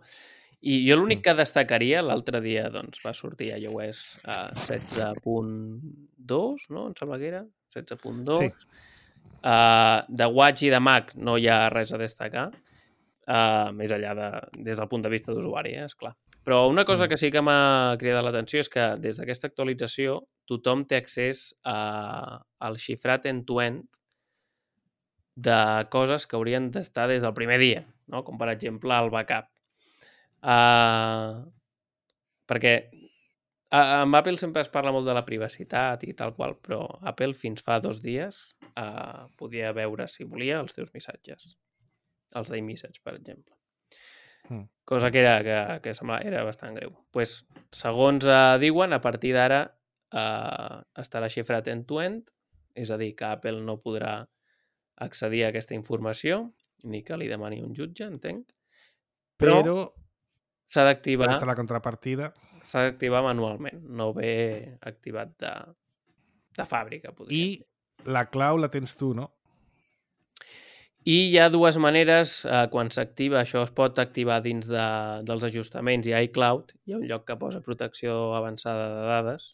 I jo l'únic que destacaria, l'altre dia doncs, va sortir a iOS a setze punt dos, no? Em sembla que era, setze punt dos. Sí. Uh, de Watch i de Mac no hi ha res a destacar, uh, més enllà de, des del punt de vista d'usuari, eh, esclar. Però una cosa que sí que m'ha cridat l'atenció és que des d'aquesta actualització tothom té accés a, al xifrat end-to-end de coses que haurien d'estar des del primer dia, no? Com per exemple el backup. Uh, perquè uh, amb Apple sempre es parla molt de la privacitat i tal qual, però Apple fins fa dos dies uh, podia veure, si volia, els teus missatges, els d'iMessage, per exemple. Mm. Cosa que, era, que, que semblava, era bastant greu. Pues, segons uh, diuen, a partir d'ara uh, estarà xifrat end-to-end, és a dir, que Apple no podrà accedir a aquesta informació, ni que li demani un jutge, entenc. Però... però... s'ha d'activar... la contrapartida. S'ha d'activar manualment, no ve activat de, de fàbrica. I dir. La clau la tens tu, no? I hi ha dues maneres, eh, quan s'activa, això es pot activar dins de, dels ajustaments i iCloud, hi ha un lloc que posa protecció avançada de dades,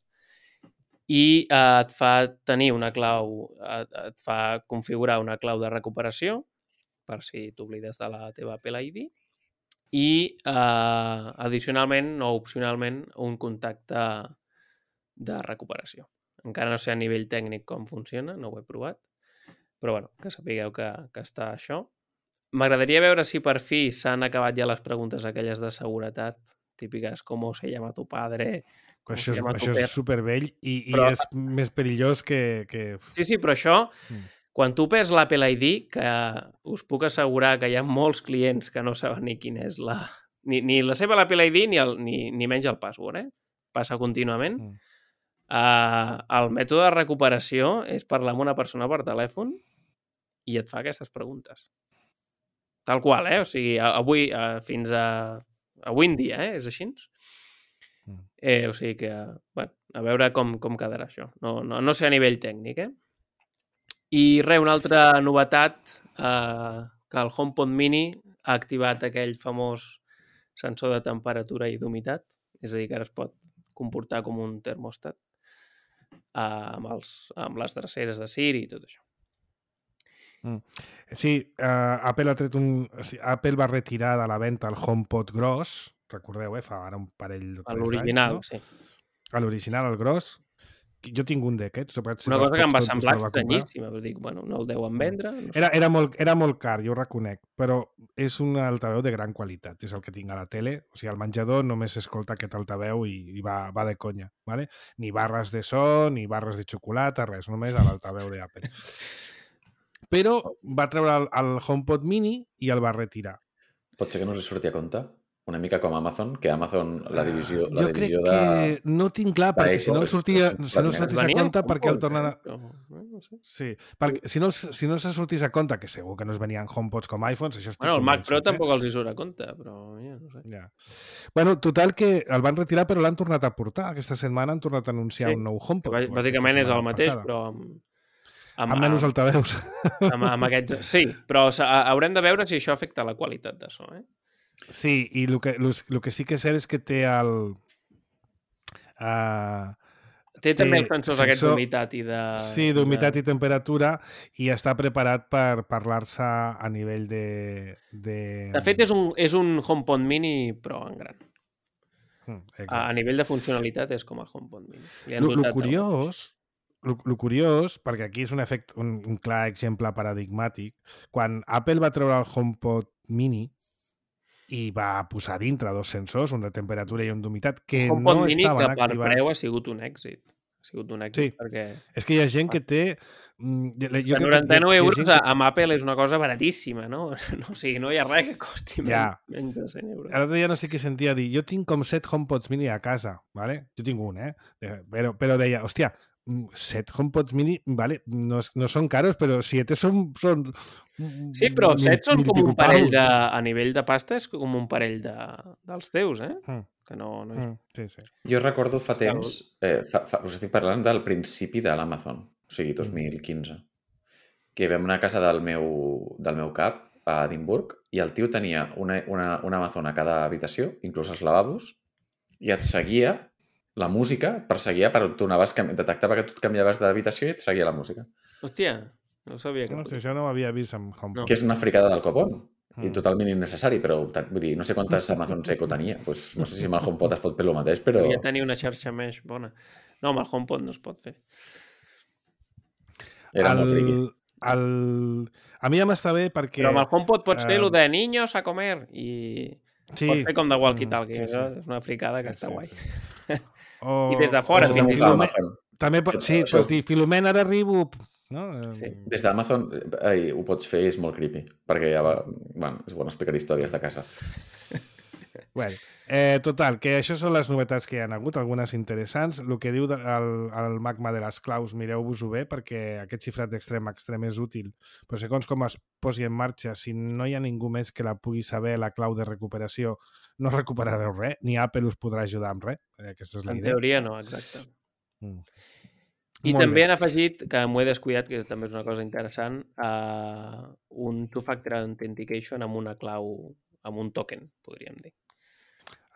i eh, et fa tenir una clau, et, et fa configurar una clau de recuperació, per si t'oblides de la teva Apple I D, i eh, addicionalment o opcionalment un contacte de recuperació. Encara no sé a nivell tècnic com funciona, no ho he provat, però bueno, que sapigueu que, que està això. M'agradaria veure si per fi s'han acabat ja les preguntes aquelles de seguretat, típiques com se llama tu padre... Això és, això és supervell i, i però... és més perillós que, que... Sí, sí, però això... Mm. Quan tu perds l'Apple I D, que us puc assegurar que hi ha molts clients que no saben ni quina és la... Ni, ni la seva l'Apple I D ni, el, ni, ni menys el password, eh? Passa contínuament. Mm. Uh, el mètode de recuperació és parlar amb una persona per telèfon i et fa aquestes preguntes. Tal qual, eh? O sigui, avui, uh, fins a... Avui en dia, eh? És així? Mm. Eh, o sigui que, bueno, a veure com, com quedarà això. No, no, no sé a nivell tècnic, eh? I res, una altra novetat, eh, que el HomePod Mini ha activat aquell famós sensor de temperatura i d'humitat, és a dir, que ara es pot comportar com un termòstat eh, amb, els, amb les dreceres de Siri i tot això. Mm. Sí, uh, Apple ha tret un... O sigui, Apple va retirar de la venda el HomePod gros, recordeu, eh, fa ara un parell de tres anys. L'original, no? sí. L'original, el gros. Jo tinc un d'aquests. Una cosa que em va semblar estranyíssima. Dic, bueno, no el deuen vendre. No sé. era, era, molt, era molt car, jo ho reconec, però és un altaveu de gran qualitat. És el que tinc a la tele. O sigui, al menjador només s'escolta aquest altaveu i, i va, va de conya. ¿vale? Ni barres de so, ni barres de xocolata, res. Només a l'altaveu d'Apple. Però va treure el, el HomePod Mini i el va retirar. Pot ser que no us surti a compte? Una mica com Amazon, que Amazon, la divisió, la jo divisió crec de... que no tinc clar, perquè si no el sortia, si no sortís a compte, perquè el tornen a... No sé. Sí, perquè si no, si no se sortís a compte, que segur que no es venien HomePods com iPhones, això estic bueno, el Mac Pro eh? tampoc els hi surt a compte, però ja no sé. Ja. Bueno, total que el van retirar, però l'han tornat a portar. Aquesta setmana han tornat a anunciar sí. un nou HomePod. Bàsicament és el mateix, passada. però... Amb, amb, amb menys altaveus. Amb, amb aquests... Sí, però haurem de veure si això afecta la qualitat de so, eh? Sí, i el que, el que sí que és cert és que té el... Uh, té, té també els sensors aquests d'humitat i de... Sí, d'humitat de... i temperatura, i està preparat per parlar-se a nivell de... De, de fet, és un, és un HomePod Mini, però en gran. Mm, a, a nivell de funcionalitat és com el HomePod Mini. El curiós... El, el curiós, perquè aquí és un efecte, un, un clar exemple paradigmàtic, quan Apple va treure el HomePod Mini i va posar dintre dos sensors, un de temperatura i un d'humitat, que un no Mini estaven que per activats. preu ha sigut un èxit. Ha sigut un èxit sí. perquè... És que hi ha gent que té... Jo que noranta-nou euros que... amb Apple és una cosa baratíssima, no? no o sigui, no hi ha res que costi ja. menys de cent euros. L'altre dia no sé què sentia dir, jo tinc com set HomePods Mini a casa, ¿vale? Jo tinc un, eh? Però, però deia, hòstia, set HomePods Mini, vale, no, no són caros, però siete són... són sí, però set són com un parell de... A nivell de pasta és com un parell de, dels teus, eh? Mm. Que no, no és... Mm, sí, sí. Jo recordo fa temps... Eh, fa, fa, us estic parlant del principi de l'Amazon, o sigui, dos mil quinze, que vam anar a casa del meu, del meu cap, a Edimburg, i el tio tenia una, una, una Amazon a cada habitació, inclús els lavabos, i et seguia la música, et perseguia per on tu anaves, detectava que tu et canviaves d'habitació i et seguia la música. Hòstia, no sabia que... No, això no ho havia vist amb HomePod. No. Que és una fricada del copon. Mm. I totalment innecessari, però vull dir, no sé quantes Amazon Echo tenia. Pues, no sé si amb el HomePod es pot fer el mateix, però... Devia tenir una xarxa mesh bona. No, amb el HomePod no es pot fer. Era el, molt friqui. El... A mi ja m'està bé perquè... Però amb el HomePod pots fer uh... lo de niños a comer i... Sí. Pots fer com de walkie-talkie. Sí, sí. És una fricada sí, que està sí, guai. Sí. O... I des de fora. O... Filome... També pot... Sí, pots dir, Filomena, ara arribo... No? Sí. Des d'Amazon eh, ho pots fer, és molt creepy, perquè ja va... Bueno, és bo explicar històries de casa. Bueno, eh, total, que això són les novetats que hi ha hagut, algunes interessants. El que diu de, el, el magma de les claus, mireu-vos-ho bé, perquè aquest xifrat d'extrem a extrem és útil. Però segons com es posi en marxa, si no hi ha ningú més que la pugui saber, la clau de recuperació, no recuperareu res, ni Apple us podrà ajudar amb res. Aquesta és la en idea. teoria no, exacte. Mm. I Molt també bé. han afegit, que m'ho he descuidat, que també és una cosa interessant, uh, un two-factor authentication amb una clau, amb un token, podríem dir.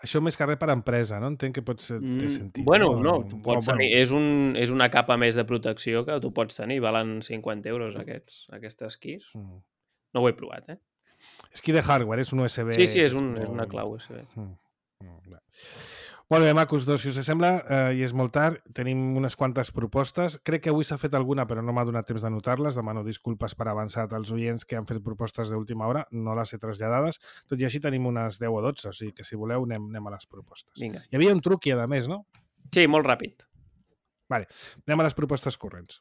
Això més que res per empresa, no? Entenc que pot ser té sentit. Mm, bueno, no, no tu pots o, tenir, bueno. és, un, és una capa més de protecció que tu pots tenir, valen cinquanta euros aquests, aquestes keys. Mm. No ho he provat, eh? És key de hardware, és un U S B. Sí, sí, és, un, és una clau U S B. Mm. Mm. Molt bé, macos, dos, si us sembla, eh, i és molt tard, tenim unes quantes propostes. Crec que avui s'ha fet alguna, però no m'ha donat temps de notar-les. Demano disculpes per avançat als oients que han fet propostes d'última hora, no les he traslladades. Tot i així tenim unes deu o dotze, o sigui que si voleu anem, anem a les propostes. Vinga. Hi havia un truqui, a més, no? Sí, molt ràpid. Vale, anem a les propostes corrents.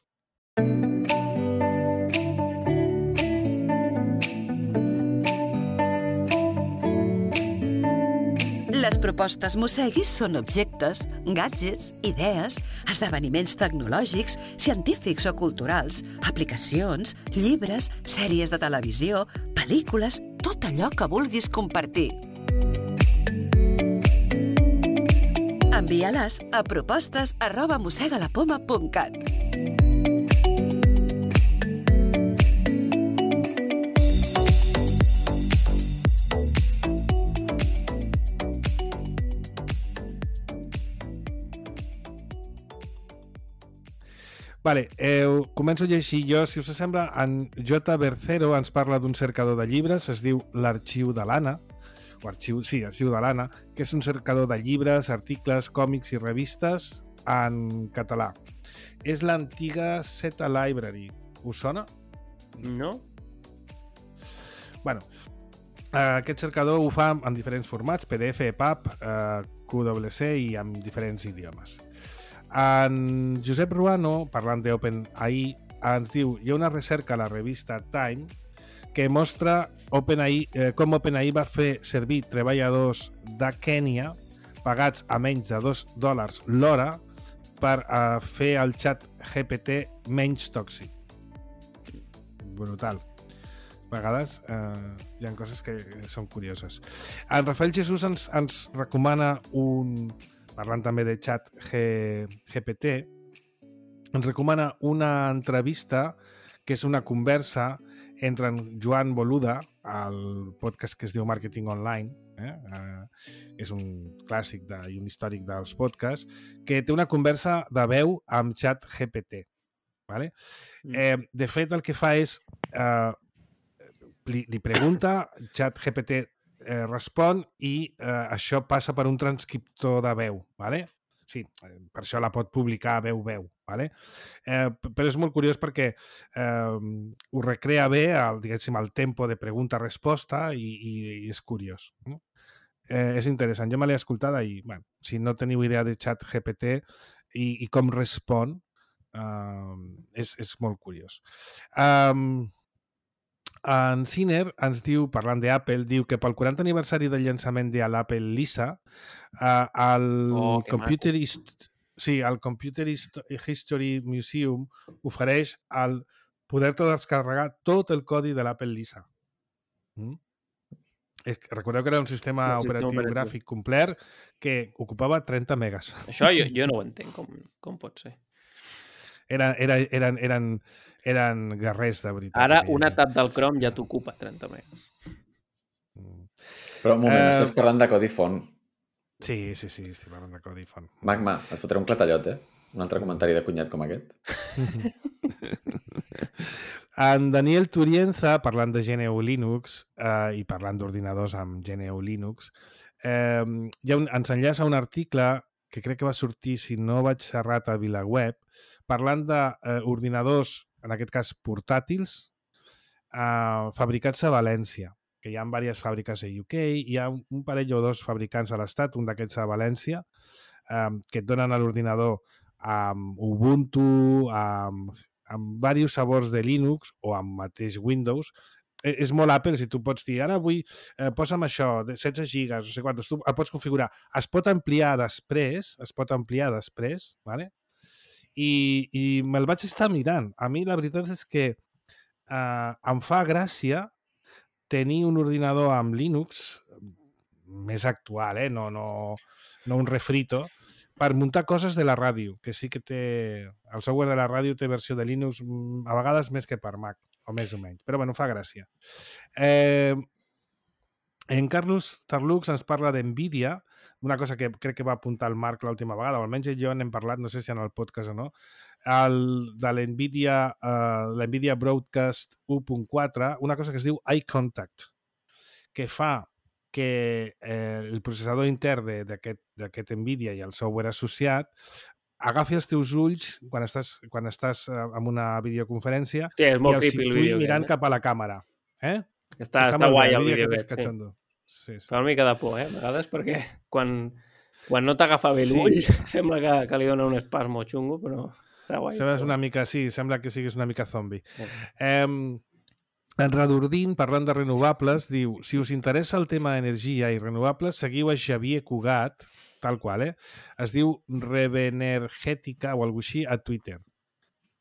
Les propostes Mosseguis són objectes, gadgets, idees, esdeveniments tecnològics, científics o culturals, aplicacions, llibres, sèries de televisió, pel·lícules, tot allò que vulguis compartir. Envia-les a propostes arroba mossegalapoma punt cat. Vale, eh, començo a llegir jo. Si us sembla, en J. Bercero ens parla d'un cercador de llibres, es diu l'Arxiu de l'Anna, o arxiu, sí, arxiu de l'Anna, que és un cercador de llibres, articles, còmics i revistes en català. És l'antiga Zeta Library. Us sona? No? Bueno, aquest cercador ho fa en diferents formats, P D F, E P U B, eh, Q W C i en diferents idiomes. En Josep Ruano, parlant d'OpenAI, ens diu, hi ha una recerca a la revista Time que mostra OpenAI, eh, com OpenAI va fer servir treballadors de Kènia pagats a menys de dos dòlars l'hora per eh, fer el xat G P T menys tòxic. Brutal. A vegades eh, hi ha coses que són curioses. En Rafael Jesús ens, ens recomana un... parlant també de xat G P T, ens recomana una entrevista que és una conversa entre en Joan Boluda, al podcast que es diu Marketing Online, eh? Eh, és un clàssic de, i un històric dels podcasts, que té una conversa de veu amb xat G P T. Vale? Mm. Eh, de fet, el que fa és... Eh, li, li pregunta, xat G P T eh, respon i eh, això passa per un transcriptor de veu. Vale? Sí, per això la pot publicar veu-veu. Vale? Eh, però és molt curiós perquè eh, ho recrea bé el, diguéssim, el tempo de pregunta-resposta i, i, i és curiós. Eh, és interessant. Jo me l'he escoltada i, bueno, si no teniu idea de xat G P T i, i com respon, eh, és, és molt curiós. Um, En Sinner ens diu, parlant d'Apple, diu que pel quaranta aniversari del llançament de l'Apple Lisa, eh, el, Oh, que Computer maco. Hist- sí, el Computer Hist- History Museum ofereix el poder-te descarregar tot el codi de l'Apple Lisa. Mm? Eh, Recordeu que era un sistema Un sistema operatiu operatiu. gràfic complet que ocupava trenta megas. Això jo, jo no ho entenc, com, com pot ser. Era, era, eren, eren, eren guerrers, de veritat. Ara aquella una gent. tab del Chrome ja t'ocupa trenta megas. Mm. Però un moment, Eh, estàs parlant de codi font. Sí, sí, sí, estic parlant de codi font. Magma, et fotré un clatallot, eh? Un altre comentari de cunyat com aquest. En Daniel Turienza, parlant de G N U Linux eh, i parlant d'ordinadors amb G N U Linux, eh, ja un, ens enllaça un article que crec que va sortir, si no vaig errat, a VilaWeb, parlant d'ordinadors, eh, en aquest cas portàtils, eh, fabricats a València, que hi ha diverses fàbriques a U K, hi ha un, un parell o dos fabricants a l'estat, un d'aquests a València, eh, que et donen a l'ordinador amb Ubuntu, amb, amb diversos sabors de Linux o amb mateix Windows. Eh, és molt Apple, si tu pots dir, ara vull, eh, posa'm això, de setze gigas, no sé quantos, tu el pots configurar. Es pot ampliar després, es pot ampliar després, ¿vale? I, i me'l vaig estar mirant. A mi la veritat és que eh, em fa gràcia tenir un ordinador amb Linux més actual, eh? no, no, no un refrito, per muntar coses de la ràdio, que sí que té... El software de la ràdio té versió de Linux a vegades més que per Mac, o més o menys. Però bueno, fa gràcia. Eh, en Carlos Tarlux ens parla d'NVIDIA, una cosa que crec que va apuntar el Marc l'última vegada, o almenys jo n'hem parlat, no sé si en el podcast o no, el, de l'NVIDIA, uh, l'NVIDIA Broadcast u punt quatre, una cosa que es diu Eye Contact, que fa que eh, el processador intern d'aquest NVIDIA i el software associat agafi els teus ulls quan estàs, quan estàs eh, en una videoconferència Hòstia, és i molt els creepy el situï vídeo mirant aquest, eh? cap a la càmera. Eh? Està, està, molt guai bé, el vídeo aquest, aquest, sí. cachondo. Sí, sí. Fa una mica de por, eh? A vegades, perquè quan, quan no t'agafa bé Sí. l'ull, sembla que, que li dona un espasmo xungo, però està guai. Sembles però- una mica, sí, sembla que siguis una mica zombi. Sí. Eh, en Radordín, parlant de renovables, diu, si us interessa el tema d'energia i renovables, seguiu a Xavier Cugat, tal qual, eh? Es diu Revenergètica o alguna així a Twitter.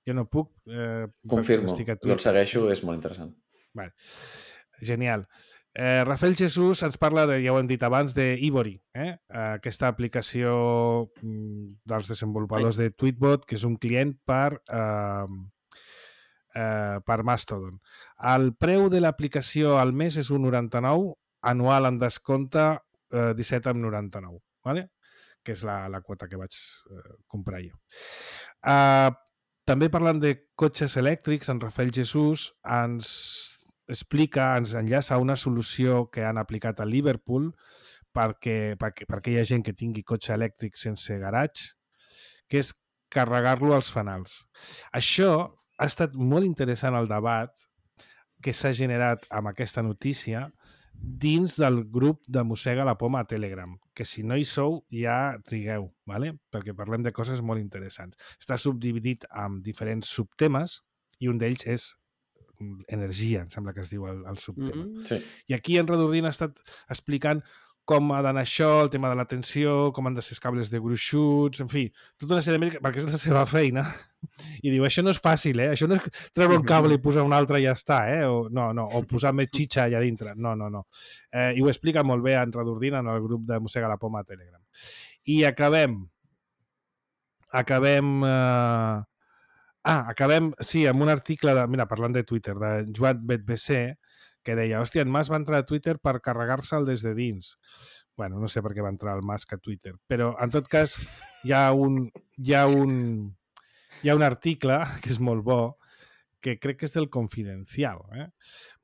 Jo no puc... Eh, Confirmo, estic a jo el segueixo, és molt interessant. Vale. Genial. Eh, Rafael Jesús ens parla, de, ja ho hem dit abans, d'Ivory, eh? aquesta aplicació mm, dels desenvolupadors de Tweetbot, que és un client per, eh, eh, per Mastodon. El preu de l'aplicació al mes és un noranta-nou, anual en descompte eh, disset coma noranta-nou, ¿vale? Que és la, la quota que vaig eh, comprar jo. Eh, també parlant de cotxes elèctrics, en Rafael Jesús ens explica, ens enllaça a una solució que han aplicat a Liverpool perquè, perquè, perquè hi ha gent que tingui cotxe elèctric sense garatge, que és carregar-lo als fanals. Això ha estat molt interessant el debat que s'ha generat amb aquesta notícia dins del grup de Mossega la Poma a Telegram, que si no hi sou ja trigueu, ¿vale? Perquè parlem de coses molt interessants. Està subdividit en diferents subtemes i un d'ells és energia, em sembla que es diu el, el subtema. Mm-hmm. Sí. I aquí en Redordina ha estat explicant com ha d'anar això, el tema de la tensió, com han de ser els cables de gruixuts, en fi, tota una sèrie de... perquè és la seva feina. I diu, això no és fàcil, eh? Això no és treure un cable i posar un altre i ja està, eh? O, no, no, o posar més xitxa allà dintre. No, no, no. Eh, I ho explica molt bé en Redordina, en el grup de Mossega la Poma a Telegram. I acabem... Acabem... Eh... Ah, acabem, sí, amb un article, de, mira, parlant de Twitter, de Joan Betbc, que deia, hòstia, en Mas va entrar a Twitter per carregar-se'l des de dins. Bueno, no sé per què va entrar el Musk a Twitter, però en tot cas hi ha un, hi ha un, hi ha un article que és molt bo, que crec que és del Confidencial, eh?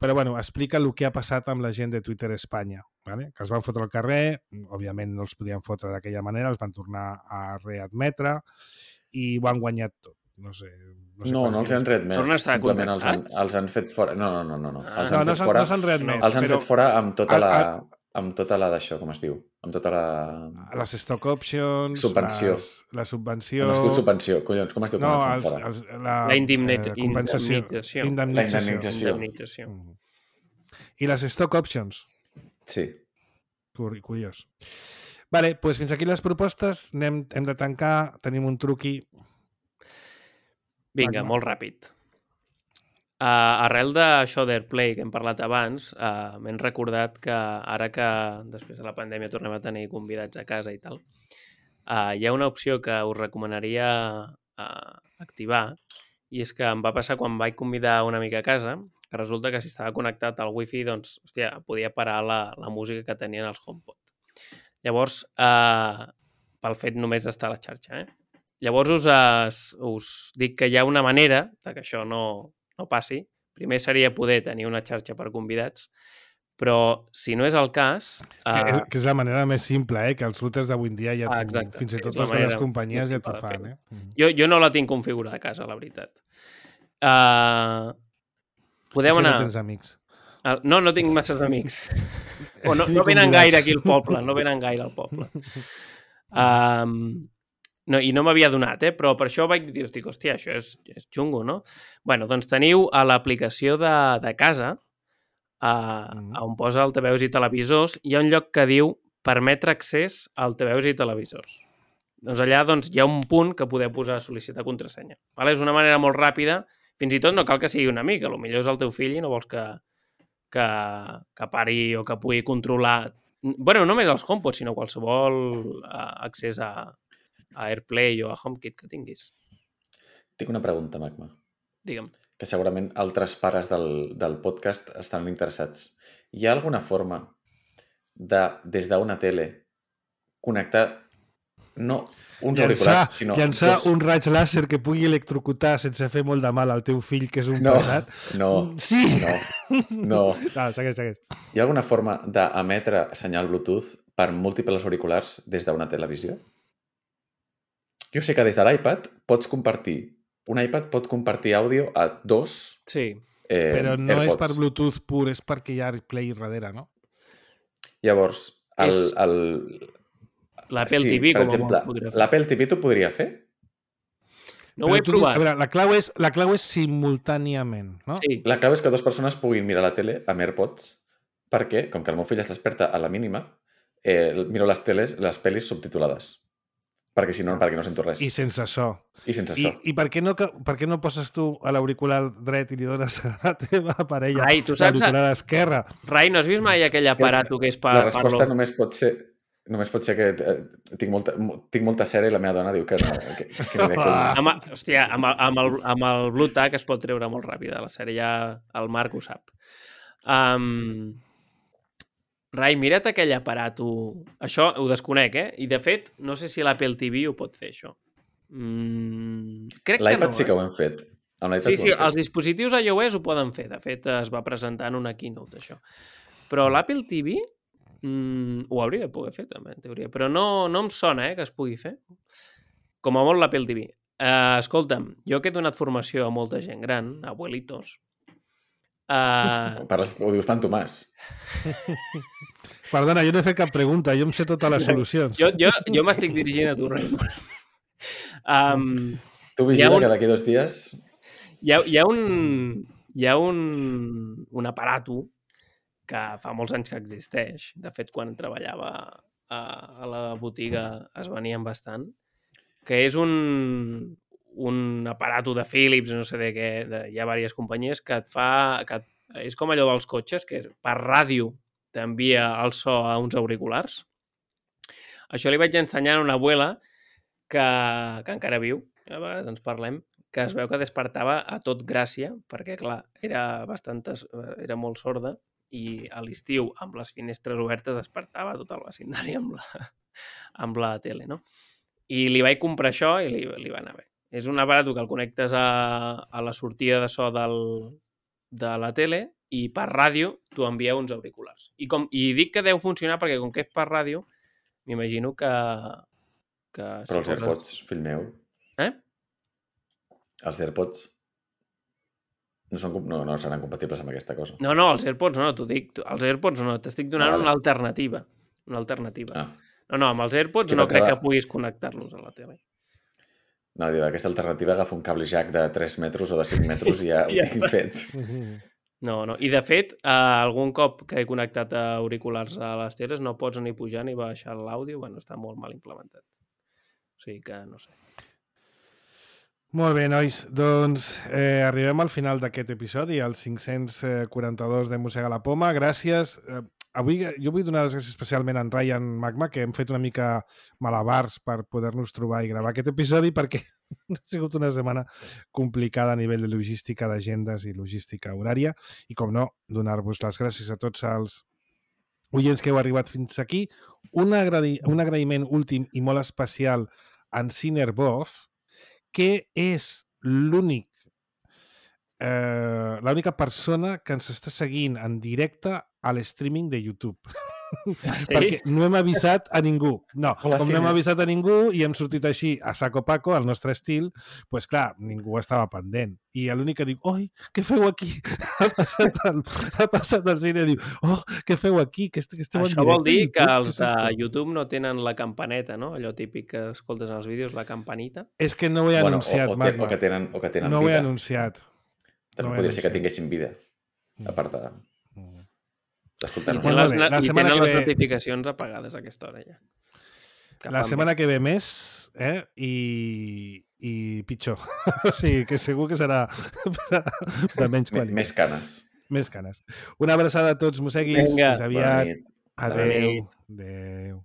Però bueno, explica el que ha passat amb la gent de Twitter Espanya, ¿vale? Que els van fotre al carrer, òbviament no els podien fotre d'aquella manera, els van tornar a readmetre i ho han guanyat tot. No sé... No, sé no, no els han ret més. Simplement els han, els han fet fora... No, no, no, no. no. Els no, han no fet fora, no s'han ret més. Els han però... fet fora amb tota la... amb tota la d'això, com es diu? Amb tota la... Les stock options... Subvenció. Les, la subvenció... No es diu subvenció, collons, com es diu? No, com els, fora? els, la, la indemnització. Eh, compensació. Indemnització. Indemnització. Indemnització. Mm. I les stock options. Sí. Curiós. Vale, doncs pues fins aquí les propostes. Anem, hem de tancar. Tenim un truqui... Vinga, molt ràpid. Uh, arrel d'això d'Airplay que hem parlat abans, uh, m'hem recordat que ara que després de la pandèmia tornem a tenir convidats a casa i tal, uh, hi ha una opció que us recomanaria uh, activar, i és que em va passar quan vaig convidar una amiga a casa, que resulta que si estava connectat al wifi, doncs, hòstia, podia parar la, la música que tenien els HomePod. Llavors, uh, pel fet només d'estar a la xarxa, eh? Llavors us, us, us dic que hi ha una manera de que això no, no passi. Primer seria poder tenir una xarxa per convidats, però si no és el cas... Que, uh... és, que és la manera més simple, eh? Que els routers d'avui en dia ja... Ah, exacte. Fins i tot sí, les grans companyies ja t'ho fan, eh? Jo, jo no la tinc configurada a casa, la veritat. Uh... Podem anar... No tens amics. Uh, no, no tinc masses amics. O no, no venen gaire aquí al poble, no venen gaire al poble. Um... No, i no m'havia donat, eh? Però per això vaig dir, dic, hòstia, això és, és xungo, no? Bueno, doncs teniu a l'aplicació de, de casa, a, mm. on posa altaveus i televisors, hi ha un lloc que diu permetre accés a altaveus i televisors. Doncs allà doncs, hi ha un punt que podeu posar sol·licitar contrasenya. Vale? És una manera molt ràpida, fins i tot no cal que sigui un amic, potser és el teu fill i no vols que, que, que pari o que pugui controlar... Bueno, no només els HomePod, sinó qualsevol uh, accés a... a AirPlay o a HomeKit que tinguis. Tinc una pregunta, Magma. Digue'm. Que segurament altres pares del, del podcast estan interessats. Hi ha alguna forma de, des d'una tele, connectar no uns llançar, auriculars, sinó... Llançar dos... un raig làser que pugui electrocutar sense fer molt de mal al teu fill, que és un no, pesat? No, sí. no, no. No, segueix, segueix. Hi ha alguna forma d'emetre senyal Bluetooth per múltiples auriculars des d'una televisió? Jo sé que des de l'iPad pots compartir... Un iPad pot compartir àudio a dos sí. eh, Però no AirPods. És per Bluetooth pur, és perquè hi ha AirPlay darrere, no? Llavors, el... És... el... l'Apple sí, T V, per com exemple, ho podria fer. L'Apple T V t'ho podria fer? No ho he tu, provat. A veure, la clau és, la clau és simultàniament, no? Sí. La clau és que dues persones puguin mirar la tele amb AirPods, perquè, com que el meu fill es desperta a la mínima, eh, miro les teles, les pel·lis subtitulades. Perquè si no, perquè no sento res. I sense so. I sense I, so. I per què no, per què no poses tu a l'auricular dret i li dones a la teva parella Rai, tu saps... l'auricular esquerra? Rai, no has vist mai aquell aparato que és per... La resposta parlo... només pot ser... Només pot ser que eh, tinc, molta, tinc molta cera i la meva dona diu que no. Que, que no ah. amb, hòstia, amb el, amb, el, amb el Bluetooth es pot treure molt ràpid de la sèrie, ja el Marc ho sap. Um... Rai, mira't aquell aparato. Això ho desconec, eh? I, de fet, no sé si l'Apple T V ho pot fer, això. Mm, crec que no, L'iPad sí eh? que ho hem fet. Amb l'iPad Sí, ho sí, han fet. els dispositius iOS ho poden fer. De fet, es va presentar en una keynote, això. Però l'Apple T V mm, ho hauria de poder fer, també, en teoria. Però no, no em sona, eh, que es pugui fer. Com a molt l'Apple T V. Uh, escolta'm, jo que he donat formació a molta gent gran, abuelitos, uh, Parles, ho dius pan Tomàs. Perdona, jo no he fet cap pregunta, jo em sé totes les solucions. jo, jo, jo m'estic dirigint a tu, Raimon. Um, Tu Hi ha vigila un- que d'aquí dos dies... hi ha, hi ha un hi ha un, un aparato que fa molts anys que existeix. De fet, quan treballava a, a la botiga es venien bastant, que és un, un aparato de Philips, no sé de què, de, hi ha diverses companyies, que et fa... Que et, és com allò dels cotxes, que per ràdio t'envia el so a uns auriculars. Això li vaig ensenyar a una abuela que, que encara viu, a vegades ens parlem, que es veu que despertava a tot Gràcia, perquè, clar, era, bastant, era molt sorda i a l'estiu, amb les finestres obertes, despertava tot el vecindari amb la, amb la tele, no? I li vaig comprar això i li, li va anar bé. És un aparato que el connectes a, a la sortida de so del, de la tele i per ràdio t'ho envia uns auriculars. I, com, I dic que deu funcionar perquè, com que és per ràdio, m'imagino que... que Però si els AirPods, fill meu, Eh? els AirPods no, són, com- no, no seran compatibles amb aquesta cosa. No, no, els AirPods no, t'ho dic. tu- Els AirPods no, t'estic donant Vale. una alternativa. Una alternativa. Ah. No, no, amb els AirPods És que no crec pensava- que puguis connectar-los a la tele. No, diu, aquesta alternativa agafa un cable jack de tres metres o de cinc metres i ja ho Ja tinc fet. No, no. I de fet, eh, algun cop que he connectat a auriculars a les teles no pots ni pujar ni baixar l'àudio. Bueno, està molt mal implementat. O sigui que no sé. Molt bé, nois. Doncs eh, arribem al final d'aquest episodi, al cinc-cents quaranta-dos de Mossega la Poma. Gràcies. Eh, avui jo vull donar les gràcies especialment a en Ryan Magma, que hem fet una mica malabars per poder-nos trobar i gravar aquest episodi, perquè ha sigut una setmana complicada a nivell de logística d'agendes i logística horària. I, com no, donar-vos les gràcies a tots els oients que heu arribat fins aquí. Un, agradi un agraïment últim i molt especial a en Cinerbov, que és l'únic eh, l'única persona que ens està seguint en directe a l'streaming de YouTube. Sí? Perquè no hem avisat a ningú. No, Hola, com no hem Cine. avisat a ningú i hem sortit així a saco paco, al nostre estil, doncs clar, ningú estava pendent. I l'únic que diu, oi, què feu aquí? Ha passat el, ha passat el Cine i diu, oh, què feu aquí? Que, est que esteu en Això vol dir directe que a YouTube? els Què és de esto?" YouTube no tenen la campaneta, no? Allò típic que escoltes en els vídeos, la campanita. És que no ho he Bueno, anunciat, o, o, ten, Magma. o, que tenen, o que tenen No ho he vida. anunciat. També no ho he podria ser que anunciat. tinguessin vida, a part de- I d'escoltar-nos. tenen, Bueno, les, bé, la i setmana tenen que les ve- notificacions apagades a aquesta hora ja. Que La fan setmana bé. que ve més, eh? I, i pitjor. O sigui, que segur que serà, serà de menys Me- qualitat. Més canes. Més canes. Una abraçada a tots, mosseguis. Vinga. Fins Bona aviat. nit. Bona Adéu. nit. Adéu.